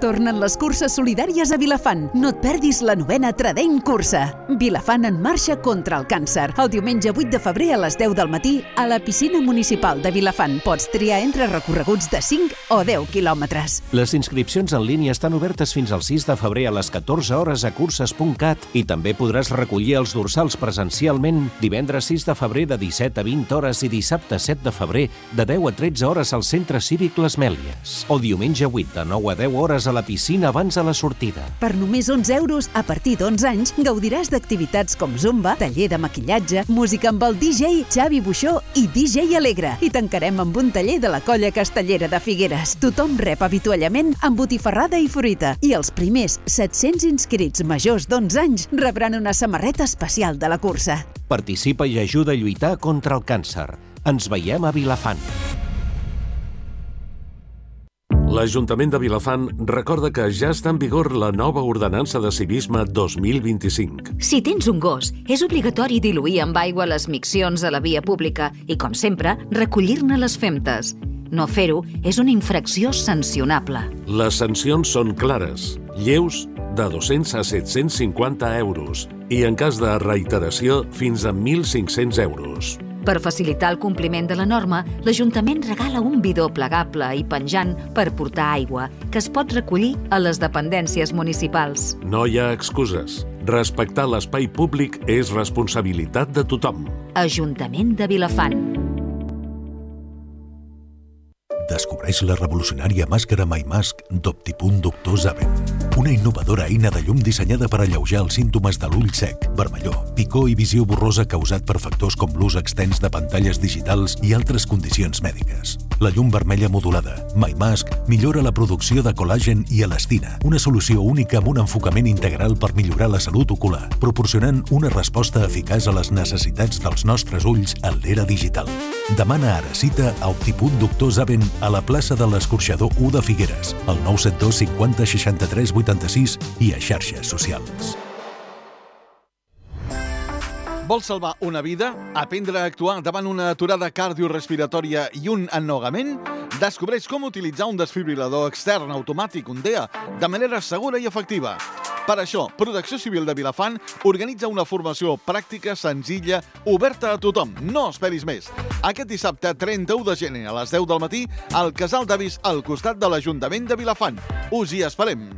Speaker 8: Tornen les curses solidàries a Vilafant. No et perdis la 9a Tradein Cursa. Vilafant en marxa contra el càncer. El diumenge 8 de febrer a les 10 del matí a la piscina municipal de Vilafant. Pots triar entre recorreguts de 5 o 10 quilòmetres.
Speaker 9: Les inscripcions en línia estan obertes fins al 6 de febrer a les 14 hores a curses.cat i també podràs recollir els dorsals presencialment divendres 6 de febrer de 17 a 20 hores i dissabte 7 de febrer de 10 a 13 hores al Centre Cívic Les Mèlies. O diumenge 8 de 9 a 10 hores a la piscina abans de la sortida.
Speaker 8: Per només 11 euros, a partir d'11 anys, gaudiràs d'activitats com zumba, taller de maquillatge, música amb el DJ Xavi Buixó i DJ Alegre. I tancarem amb un taller de la Colla Castellera de Figueres. Tothom rep avituallament amb botifarrada i fruita. I els primers 700 inscrits majors d'11 anys rebran una samarreta especial de la cursa.
Speaker 9: Participa i ajuda a lluitar contra el càncer. Ens veiem a Vilafant.
Speaker 10: L'Ajuntament de Vilafant recorda que ja està en vigor la nova ordenança de civisme 2025.
Speaker 11: Si tens un gos, és obligatori diluir amb aigua les miccions a la via pública i, com sempre, recollir-ne les femtes. No fer-ho és una infracció sancionable.
Speaker 10: Les sancions són clares, lleus, de 200 a 750 euros i, en cas de reiteració, fins a 1.500 euros.
Speaker 11: Per facilitar el compliment de la norma, l'Ajuntament regala un bidó plegable i penjant per portar aigua, que es pot recollir a les dependències municipals.
Speaker 10: No hi ha excuses. Respectar l'espai públic és responsabilitat de tothom.
Speaker 11: Ajuntament de Vilafant.
Speaker 12: Descobreix la revolucionària màscara MyMask d'Optipunt Doctor Zaven. Una innovadora eina de llum dissenyada per alleujar els símptomes de l'ull sec, vermellor, picor i visió borrosa causat per factors com l'ús extens de pantalles digitals i altres condicions mèdiques. La llum vermella modulada, MyMask, millora la producció de col·làgen i elastina, una solució única amb un enfocament integral per millorar la salut ocular, proporcionant una resposta eficaç a les necessitats dels nostres ulls en l'era digital. Demana ara cita a Optipunt Doctor Zaven a la plaça de l'Escorxador 1 de Figueres, al 972 50 63 86 i a xarxes socials.
Speaker 6: Vols salvar una vida? Aprendre a actuar davant una aturada cardiorespiratòria i un ennogament? Descobreix com utilitzar un desfibrilador extern automàtic, un DEA, de manera segura i efectiva. Per això, Protecció Civil de Vilafant organitza una formació pràctica, senzilla, oberta a tothom. No esperis més. Aquest dissabte, 31 de gener, a les 10 del matí, al Casal d'Avis, al costat de l'Ajuntament de Vilafant. Us hi esperem.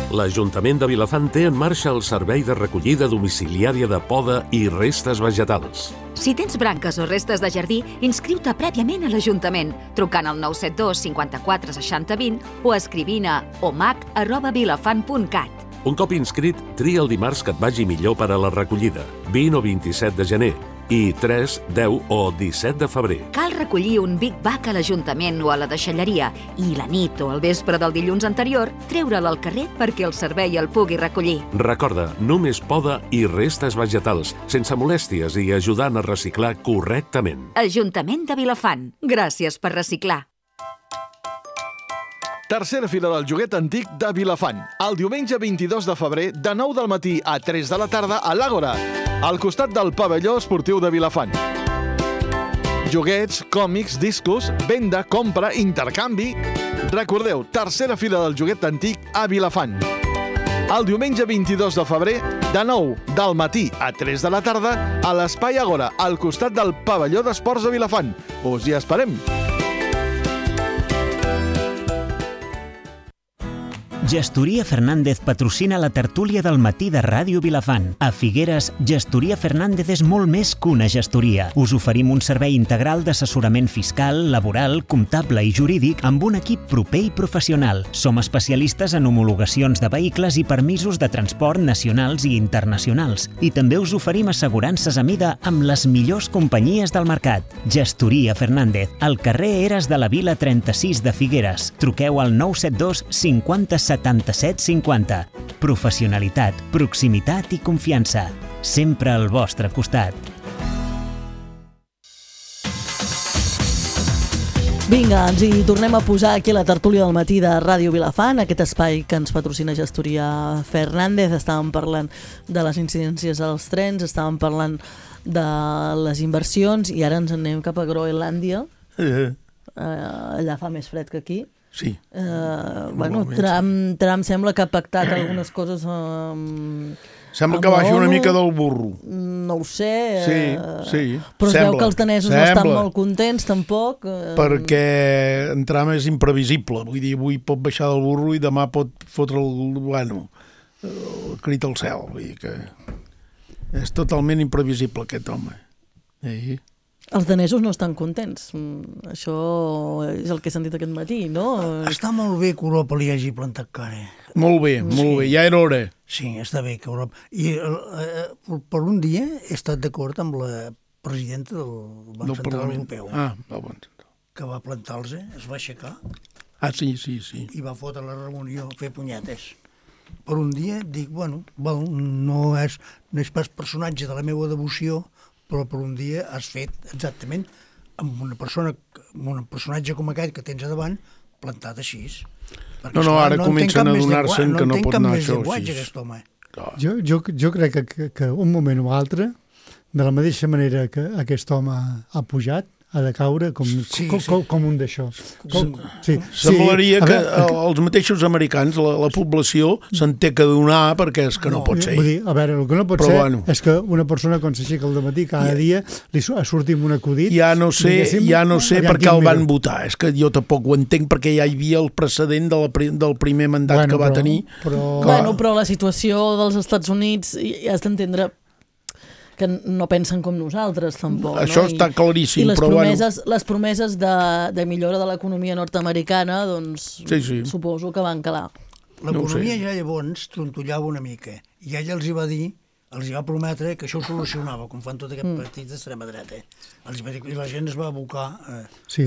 Speaker 10: L'Ajuntament de Vilafant té en marxa el servei de recollida domiciliària de poda i restes vegetals.
Speaker 11: Si tens branques o restes de jardí, inscriu-te prèviament a l'Ajuntament, trucant al 972 54 60 20 o escrivint a omac@vilafant.cat.
Speaker 10: Un cop inscrit, tria el dimarts que et vagi millor per a la recollida, 20 o 27 de gener, i 3, 10 o 17 de febrer.
Speaker 11: Cal recollir un Big Bag a l'Ajuntament o a la deixalleria i la nit o al vespre del dilluns anterior treure'l al carrer perquè el servei el pugui recollir.
Speaker 10: Recorda, només poda i restes vegetals, sense molèsties i ajudant a reciclar correctament.
Speaker 11: Ajuntament de Vilafant. Gràcies per reciclar.
Speaker 13: Tercera fira del joguet antic de Vilafant. El diumenge 22 de febrer, de 9 del matí a 3 de la tarda, a l'Àgora, al costat del pavelló esportiu de Vilafant. Joguets, còmics, discos, venda, compra, intercanvi... Recordeu, tercera fira del joguet antic a Vilafant. El diumenge 22 de febrer, de 9 del matí a 3 de la tarda, a l'Espai Àgora, al costat del pavelló d'esports de Vilafant. Us hi esperem!
Speaker 1: Gestoria Fernández patrocina la tertúlia del matí de Ràdio Vilafant. A Figueres, Gestoria Fernández és molt més que una gestoria. Us oferim un servei integral d'assessorament fiscal, laboral, comptable i jurídic amb un equip proper i professional. Som especialistes en homologacions de vehicles i permisos de transport nacionals i internacionals. I també us oferim assegurances a mida amb les millors companyies del mercat. Gestoria Fernández, al carrer Eres de la Vila 36 de Figueres. Truqueu al 972 50 77 50. Professionalitat, proximitat i confiança. Sempre al vostre costat.
Speaker 2: Vinga, ens hi tornem a posar aquí a la tertúlia del matí de Ràdio Vilafant, aquest espai que ens patrocina Gestoria Fernández. Estàvem parlant de les incidències als trens, estàvem parlant de les inversions i ara ens anem cap a Groenlàndia. Allà fa més fred que aquí.
Speaker 3: Sí.
Speaker 2: Bueno, Trump sembla que ha pactat algunes coses
Speaker 3: sembla que baixi una mica del burro.
Speaker 2: No ho sé.
Speaker 3: Sí.
Speaker 2: Però es veu que els danesos no estan molt contents, tampoc.
Speaker 3: Perquè en Trump és imprevisible. Vull dir, avui pot baixar del burro i demà pot fotre el crit al cel. Vull dir que és totalment imprevisible aquest home.
Speaker 2: Els danesos no estan contents. Això és el que he sentit aquest matí, no?
Speaker 5: Està molt bé que Europa li hagi plantat cara.
Speaker 3: Molt bé, ja era hora.
Speaker 5: Sí, està bé que Europa... I per un dia he estat d'acord amb la presidenta del Banc Central Europeu.
Speaker 3: Del Banc Central.
Speaker 5: Que va plantar-los, es va aixecar.
Speaker 3: Sí.
Speaker 5: I va fotre la reunió a fer punyetes. Per un dia dic, bueno, no és pas personatge de la meva devoció, però per un dia has fet exactament amb un personatge com aquest que tens a davant plantat així.
Speaker 3: No, ara comencen a adonar-se'n que no pot anar això
Speaker 4: així. Jo crec que un moment o altre, de la mateixa manera que aquest home ha pujat, ha de caure com un d'això.
Speaker 3: Semblaria que els mateixos americans, la població, se'n té que donar perquè és que no pot ser.
Speaker 4: Vull dir, a veure, el que no pot ser és que una persona quan s'aixeca al dematí cada dia li surti amb un acudit.
Speaker 3: Ja no sé per què el van votar. És que jo tampoc ho entenc perquè ja hi havia el precedent del primer mandat que va tenir.
Speaker 2: Però la situació dels Estats Units ja has d'entendre que no pensen com nosaltres, tampoc.
Speaker 3: Això està claríssim.
Speaker 2: I les promeses de millora de l'economia nord-americana, doncs, suposo que van calar.
Speaker 5: L'economia ja llavors trontollava una mica, i ella els hi va prometre que això ho solucionava, com fan tot aquest partit d'extrema dreta. I la gent es va abocar a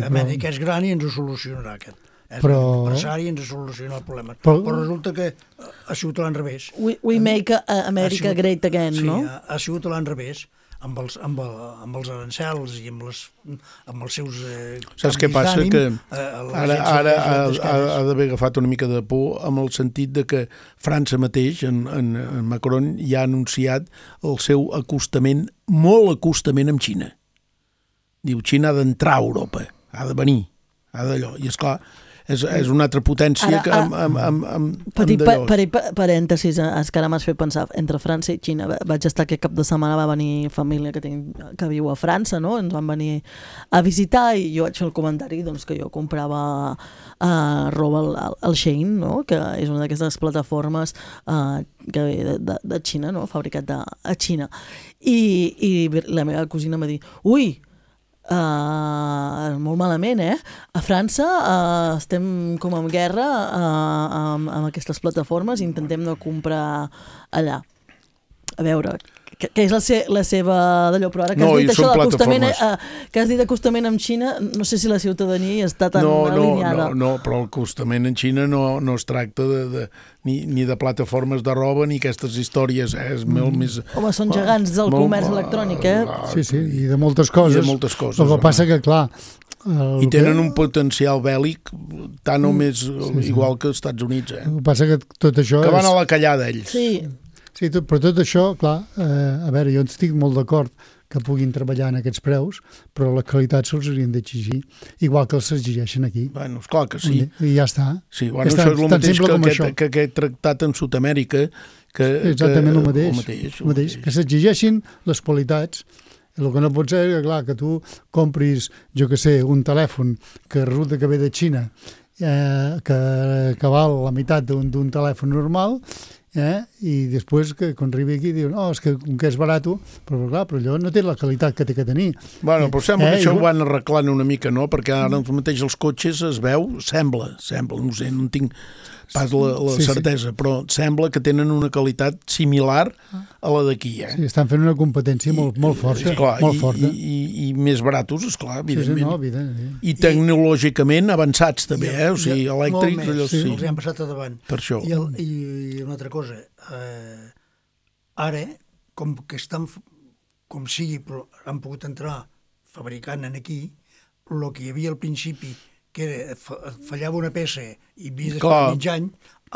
Speaker 5: Amèrica és gran i ens ho solucionarà aquest. És un empresari i ens soluciona el problema. Però resulta que ha sigut a l'enrevés.
Speaker 2: We make America great again, no?
Speaker 5: Sí, ha sigut a l'enrevés, amb els arancels i amb els seus
Speaker 3: saps què passa? Que ara ha d'haver agafat una mica de por amb el sentit de que França mateix, en Macron, ja ha anunciat el seu molt acostament amb Xina. Diu, Xina ha d'entrar a Europa, ha de venir, ha d'allò. I esclar, és una altra potència que
Speaker 2: petit parèntesis, que ara m'has fet pensar entre França i Xina. Vaig estar aquest cap de setmana, va venir família que viu a França, no? Ens van venir a visitar i jo vaig fer el comentari que jo comprava roba al Shein, no? Que és una d'aquestes plataformes que ve de Xina, no? Fabricat a Xina. I la meva cosina em va dir, ui, molt malament, a França estem com en guerra amb aquestes plataformes i intentem no comprar allà. A veure, que és la seva d'allò, però ara que has dit això de l'acostament, que has dit acostament amb Xina, no sé si la ciutadania està tan alineada.
Speaker 3: No, però l'acostament en Xina no es tracta ni de plataformes de roba ni aquestes històries, és molt més...
Speaker 2: Home, són gegants del comerç electrònic,
Speaker 4: Sí, i de moltes coses.
Speaker 3: I de moltes coses.
Speaker 4: El que passa que, clar...
Speaker 3: I tenen un potencial bèl·lic tant o més igual que els Estats Units.
Speaker 4: El que passa que tot això...
Speaker 3: Que van a la callada, ells.
Speaker 4: Sí, però tot això, clar, a veure, jo estic molt d'acord que puguin treballar en aquests preus, però la qualitat se'ls haurien d'exigir, igual que els exigeixen aquí.
Speaker 3: Bueno, esclar que sí.
Speaker 4: I ja està.
Speaker 3: Sí, bueno, això és el mateix que aquest tractat en Sud-amèrica.
Speaker 4: Exactament el mateix. Que s'exigeixin les qualitats. El que no pot ser és que tu compris, jo que sé, un telèfon que resulta que ve de Xina, que val la meitat d'un telèfon normal, i després que quan arribi aquí diuen és que és barat, però allò no té la qualitat que té que tenir.
Speaker 3: Bueno, però sembla que això ho van arreglant una mica, no? Perquè ara mateix els cotxes es veu, sembla, no sé, no en tinc pas la certesa, però sembla que tenen una qualitat similar a la d'aquí.
Speaker 4: Sí, estan fent una competència molt forta.
Speaker 3: I més baratos, esclar, evidentment. I tecnològicament avançats també, o sigui, elèctrics.
Speaker 5: Els hi han passat a davant.
Speaker 3: Per això.
Speaker 5: I una altra cosa, ara, com que estan, com sigui, però han pogut entrar fabricant aquí, el que hi havia al principi, que fallava una peça i havies d'esperar mig any,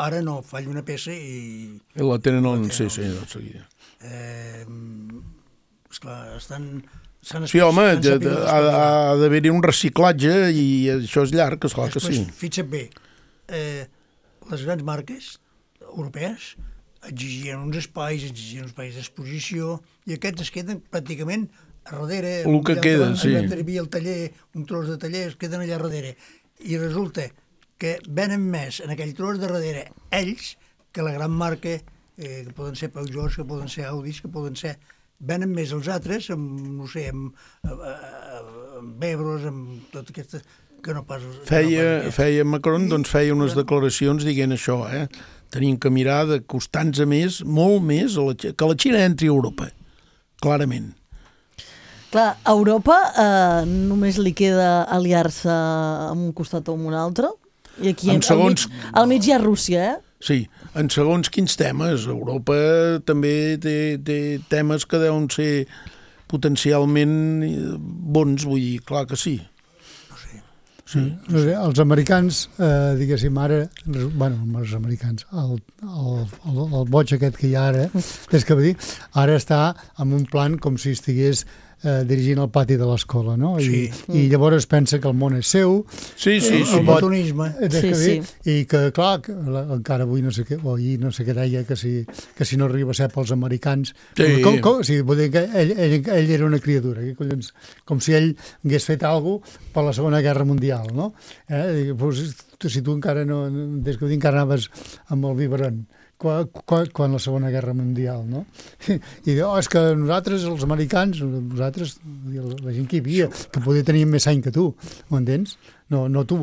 Speaker 5: ara no, falla una peça i...
Speaker 3: I la tenen en seguida.
Speaker 5: Esclar,
Speaker 3: sí, home, ha d'haver-hi un reciclatge i això és llarg, esclar que sí.
Speaker 5: Fixa't bé, les grans marques europees exigien uns espais d'exposició i aquests es queden pràcticament a darrere,
Speaker 3: el que queda, sí.
Speaker 5: El taller, un tros de taller, es queden allà darrere. I resulta que venen més en aquell tros de darrere ells que la gran marca, que poden ser Peugeot, que poden ser Audis, que poden ser... Venen més els altres, no sé, amb Ebros, amb tot aquesta... que no pas...
Speaker 3: Feia Macron, doncs feia unes declaracions dient això, tenim que mirar d'acostar-nos més, molt més, que la Xina entri a Europa, clarament.
Speaker 2: Clar, a Europa només li queda aliar-se amb un costat o amb un altre, i aquí al mig hi ha Rússia,
Speaker 3: Sí, en segons quins temes. Europa també té temes que deuen ser potencialment bons, vull dir, clar que sí.
Speaker 4: Sí. Els americans, diguéssim ara, els americans, el boig aquest que hi ha ara, és que ara està en un plan com si estigués dirigint el pati de l'escola, no? I llavors pensa que el món és seu.
Speaker 3: Sí.
Speaker 5: El botonisme.
Speaker 4: I que, clar, encara avui no sé què, o ahir no sé què deia, que si no arriba a ser pels americans... Sí, vull dir que ell era una criatura, com si ell hagués fet alguna cosa per la Segona Guerra Mundial, no? Si tu encara no... Des que encara anaves amb el biberon, quan la Segona Guerra Mundial, no? I diu, és que nosaltres, els americans, nosaltres, la gent que hi havia, que podia tenir més any que tu, ho entens? No tu.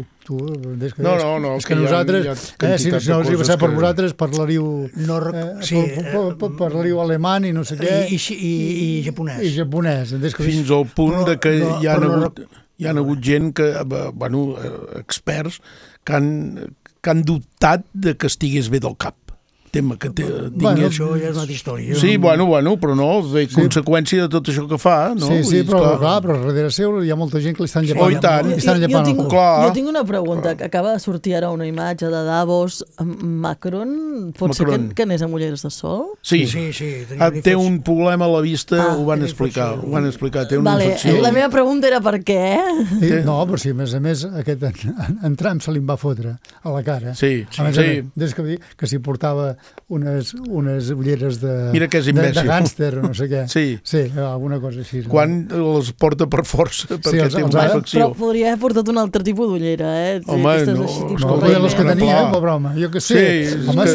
Speaker 4: És que nosaltres, si no els hi passar per vosaltres, parlaríeu alemany i no sé què.
Speaker 5: I japonès.
Speaker 4: I japonès.
Speaker 3: Fins al punt que hi ha hagut gent que, experts, que han dubtat de que estigués bé del cap.
Speaker 5: Això ja és una altra història.
Speaker 3: Sí, però no, de conseqüència de tot això que fa, no?
Speaker 4: Sí, però darrere seu hi ha molta gent que li estan llepant.
Speaker 2: Jo tinc una pregunta, que acaba de sortir ara una imatge de Davos. Macron, pot ser que anés amb ulleres de sol?
Speaker 3: Sí. Té un problema a la vista, ho van explicar, té una infecció.
Speaker 2: La meva pregunta era per què?
Speaker 4: No, però sí, a més, aquest en Trump se li va fotre a la cara.
Speaker 3: Sí.
Speaker 4: Des que s'hi portava unes ulleres de gàngster o no sé què. Sí, alguna cosa així.
Speaker 3: Quan les porta per força, perquè té una infecció.
Speaker 2: Però podria haver portat un altre tipus d'ullera,
Speaker 3: Home,
Speaker 4: no, les que tenia, broma. Jo que sé. Home,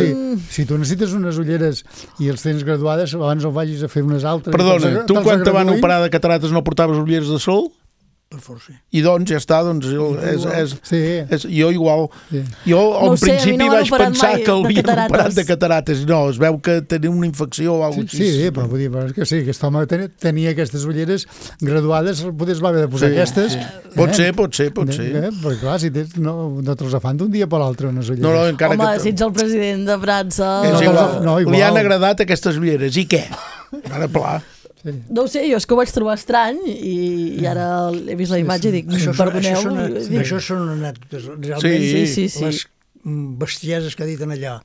Speaker 4: si tu necessites unes ulleres i els tens graduades, abans no vagis a fer unes altres.
Speaker 3: Perdona, tu quan te van operar de cataractes no portaves ulleres de sol?
Speaker 5: Per força.
Speaker 3: I doncs ja està, jo igual. Jo al principi vaig pensar que havia operat de catarates. No, es veu que tenia una infecció o alguna cosa així.
Speaker 4: Sí, però vull dir que sí, aquest home tenia aquestes ulleres graduades, potser es va haver de posar aquestes.
Speaker 3: Pot ser.
Speaker 4: Perquè clar, si no te'ls fan d'un dia per l'altre unes ulleres.
Speaker 2: Home, si ets el president de França...
Speaker 3: Li han agradat aquestes ulleres, i què? Ara, pla.
Speaker 2: Sí. No ho sé, jo és que ho vaig trobar estrany i ara he vist la imatge i dic, perdoneu.
Speaker 5: Això són anècdotes. Realment, les bestieses que ha dit allà,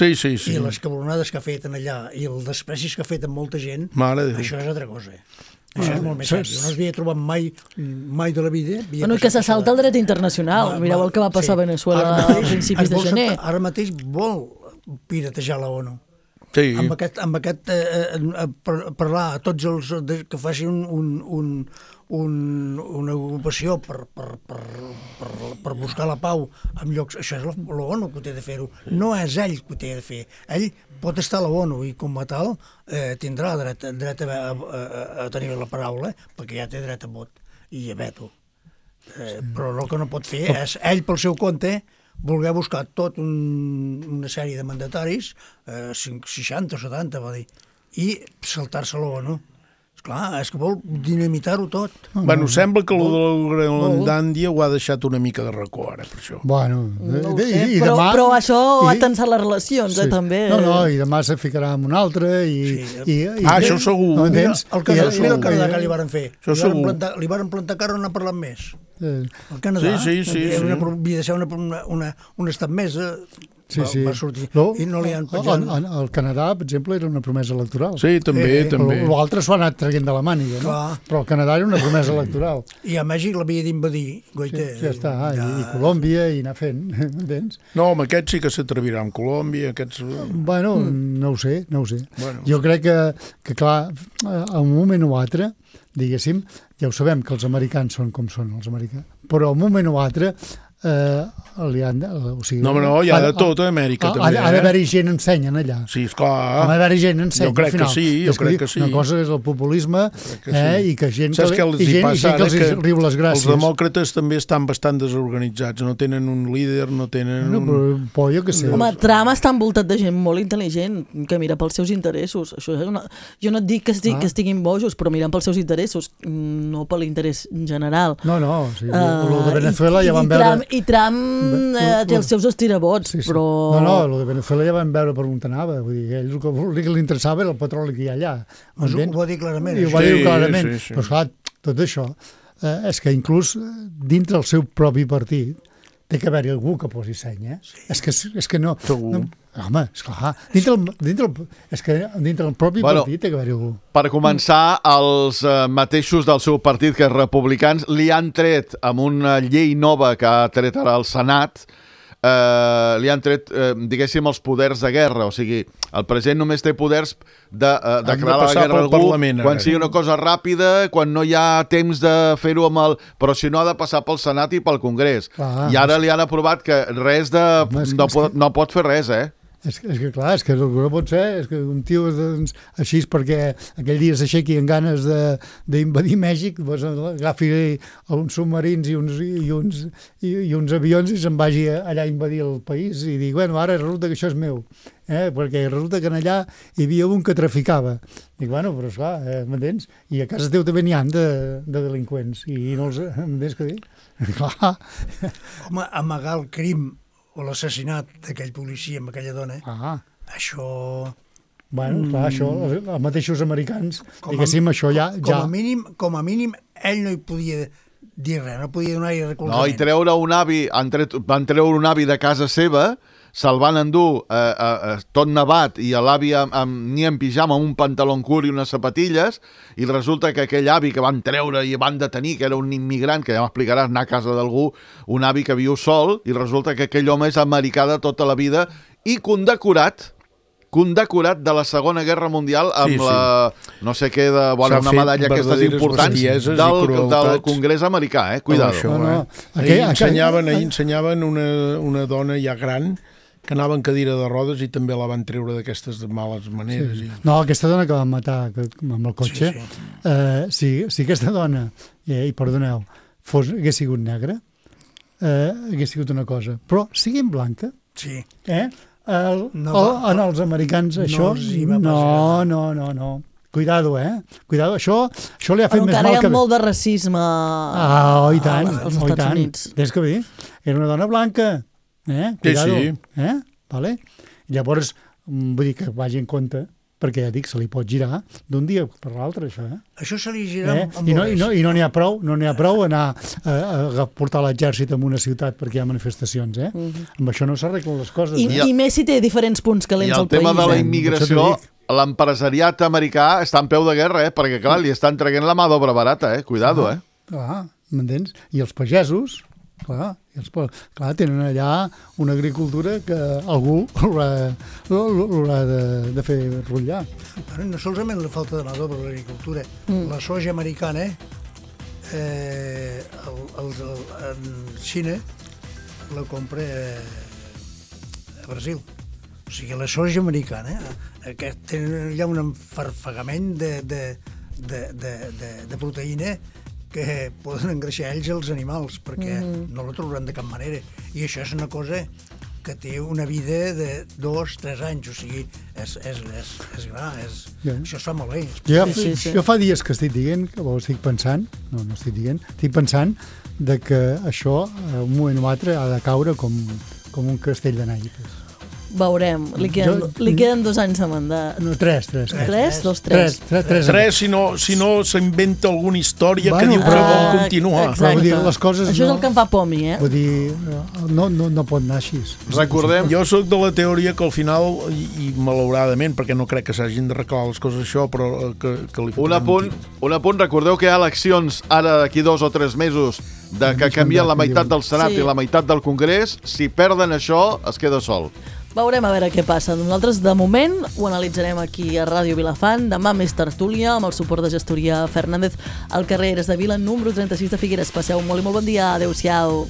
Speaker 5: i les cabronades que ha fet allà, i els desprecis que ha fet amb molta gent, això és altra cosa. Això és molt més sèrio. No s'havia trobat mai de la vida.
Speaker 2: Bueno, que se salta el dret internacional. Mireu el que va passar a Venezuela a principis de gener.
Speaker 5: Ara mateix vol piratejar la ONU.
Speaker 3: Sí.
Speaker 5: Amb aquest parlar a tots els que facin una ocupació per buscar la pau en llocs, això és l'ONU que té de fer-ho, no és ell que ho té de fer. Ell pot estar a l'ONU i com a tal tindrà dret a tenir la paraula, perquè ja té dret a vot i a veto. Però el que no pot fer és ell pel seu compte voler buscar tot una sèrie de mandataris, 60 o 70, va dir, i saltar-se l'ONU. Esclar, és que vol dinamitar-ho tot.
Speaker 3: Bueno, sembla que el de la Groenlàndia ho ha deixat una mica de racó, ara, per això.
Speaker 4: Bueno,
Speaker 2: no sé, però això ha tensat les relacions, també.
Speaker 4: No, i demà se ficarà amb un altre,
Speaker 3: això segur.
Speaker 5: Mira el Canadà que li varen fer. Li varen plantar cara on ha parlat més. El Canadà havia de ser un estat més, va sortir, i no li han penjat.
Speaker 4: El Canadà, per exemple, era una promesa electoral.
Speaker 3: Sí, també.
Speaker 4: L'altre s'ho ha anat traient de la màniga, no? Però el Canadà era una promesa electoral.
Speaker 5: I a Mèxic l'havia d'invadir, Goiter.
Speaker 4: Ja està, i Colòmbia, i anar fent, entens?
Speaker 3: No, amb aquests sí que s'atrevirà, amb Colòmbia, aquests...
Speaker 4: Bueno, no ho sé. Jo crec que clar, a un moment o altre, diguéssim, ja ho sabem que els americans són com són els americans, però a un moment o altre hi ha
Speaker 3: de tot a Amèrica també.
Speaker 4: Ha d'haver-hi gent ensenyen allà.
Speaker 3: Sí, esclar.
Speaker 4: Ha d'haver-hi gent ensenyen.
Speaker 3: Jo crec que sí.
Speaker 4: Una cosa és el populisme i que gent que els riu les gràcies.
Speaker 3: Els demòcrates també estan bastant desorganitzats, no tenen un líder, no tenen
Speaker 4: Però jo què sé.
Speaker 2: Home, Trump està envoltat de gent molt intel·ligent que mira pels seus interessos. Jo no et dic que estiguin bojos, però miren pels seus interessos, no per l'interès general.
Speaker 4: No, el de Venezuela ja van veure...
Speaker 2: I Trump té els seus estirabots, però...
Speaker 4: No, el de Venezuela ja van veure per on anava. Vull dir, ell el que li interessava era el petroli que hi ha allà.
Speaker 5: Ho va dir clarament.
Speaker 4: Ho va dir clarament. Però esclar, tot això és que inclús dintre el seu propi partit té que haver-hi algú que posi seny, És que no... Home, esclar, dintre el propi partit té que haver-hi algú.
Speaker 6: Per començar, els mateixos del seu partit, que és Republicans, li han tret, amb una llei nova que ha tret ara al Senat, li han tret, diguéssim, els poders de guerra. O sigui, el president només té poders de declarar la guerra a algú quan sigui una cosa ràpida, quan no hi ha temps de fer-ho amb el... Però si no, ha de passar pel Senat i pel Congrés. I ara li han aprovat que res de... No pot fer res,
Speaker 4: És que clar, és que el que no pot ser és que un tio així perquè aquell dia s'aixequi amb ganes d'invadir Mèxic, agafi uns submarins i uns avions i se'n vagi allà a invadir el país i dir, bueno, ara resulta que això és meu, perquè resulta que allà hi havia un que traficava. Dic, bueno, però esclar, m'entens? I a casa teu també n'hi ha de delinqüents i no els... M'entens què dir? Clar.
Speaker 5: Home, amagar el crim o l'assassinat d'aquell policia amb aquella dona, això...
Speaker 4: Bueno, clar, això, els mateixos americans, diguéssim, això ja...
Speaker 5: Com a mínim, ell no hi podia dir res, no podia donar-hi recolzament.
Speaker 6: No, i treure un avi, van treure un avi de casa seva, se'l van endur tot nevat i l'avi ni en pijama, amb un pantaló curt i unes sapatilles, i resulta que aquell avi que van treure i van detenir, que era un immigrant, que ja m'explicaràs, anar a casa d'algú, un avi que viu sol, i resulta que aquell home és americà de tota la vida i condecorat de la Segona Guerra Mundial amb la, no sé què, una medalla aquestes importants del Congrés americà, cuidado.
Speaker 3: Ahir ensenyaven una dona ja gran que anava en cadira de rodes i també la van treure d'aquestes males maneres.
Speaker 4: Sí. No, aquesta dona que van matar amb el cotxe, si aquesta dona, i perdoneu, hagués sigut negra, hagués sigut una cosa. Però siguin blanca, en els americans això... No. Cuidado, Cuidado, això li ha fet més mal que...
Speaker 2: Encara hi ha molt de racisme
Speaker 4: i tant,
Speaker 2: als Estats Units.
Speaker 4: Des que bé, era una dona blanca, Cuidado,
Speaker 3: sí.
Speaker 4: Vale? Llavors, vull dir que vagi en compte, perquè ja dic, se li pot girar d'un dia per l'altre, això,
Speaker 5: Això se li gira amb
Speaker 4: I no n'hi ha prou anar a portar l'exèrcit en una ciutat perquè hi ha manifestacions, Amb això no s'arreglen les coses,
Speaker 2: I més si té diferents punts calents al país.
Speaker 6: I el tema de la immigració, l'empresariat americà està en peu de guerra, perquè, clar, li estan traient la mà d'obra barata, Cuidado,
Speaker 4: Clar, m'entens? I els pagesos, clar, tenen allà una agricultura que algú l'haurà de fer rotllar.
Speaker 5: No solament la falta de mà d'obra a l'agricultura, la soja americana, en Xina la compra a Brasil. O sigui, la soja americana, que tenen allà un enfarfegament de proteïna que poden engreixar ells els animals, perquè no la trobaran de cap manera. I això és una cosa que té una vida de 2-3 anys, o sigui, és gra, això es fa molt bé.
Speaker 4: Jo fa dies que estic dient, estic pensant que això, un moment o altre, ha de caure com un castell de naipes.
Speaker 2: Veurem, li queden 2 anys de mandat.
Speaker 4: No, 3.
Speaker 3: 3, si no s'inventa alguna història que diu que vol continuar.
Speaker 2: Exacte. Això és el que em fa por a mi,
Speaker 4: Vull dir, no pot anar així.
Speaker 3: Recordem, jo soc de la teoria que al final, i malauradament, perquè no crec que s'hagin d'arreglar les coses això, però que li fotrem
Speaker 6: un apunt, recordeu que hi ha eleccions ara d'aquí 2 o 3 mesos que canvien la meitat del Senat i la meitat del Congrés. Si perden això, es queda sol.
Speaker 2: Veurem a veure què passa. Nosaltres, de moment, ho analitzarem aquí a Ràdio Vilafant. Demà més tertúlia, amb el suport de Gestoria Fernández, al carrer Eres de Vila, número 36 de Figueres. Passeu molt i molt bon dia. Adéu-siau.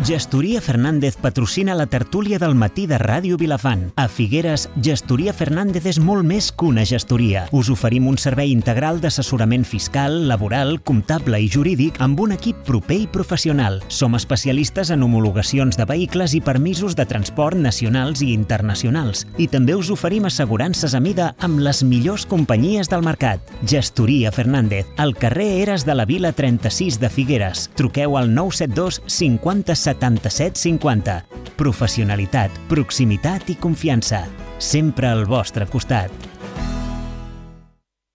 Speaker 1: Gestoria Fernández patrocina la tertúlia del matí de Ràdio Vilafant. A Figueres, Gestoria Fernández és molt més que una gestoria. Us oferim un servei integral d'assessorament fiscal, laboral, comptable i jurídic amb un equip proper i professional. Som especialistes en homologacions de vehicles i permisos de transport nacionals i internacionals. I també us oferim assegurances a mida amb les millors companyies del mercat. Gestoria Fernández, al carrer Eres de la Vila 36 de Figueres. Truqueu al 972 50 77 50. Professionalitat, proximitat i confiança. Sempre al vostre costat.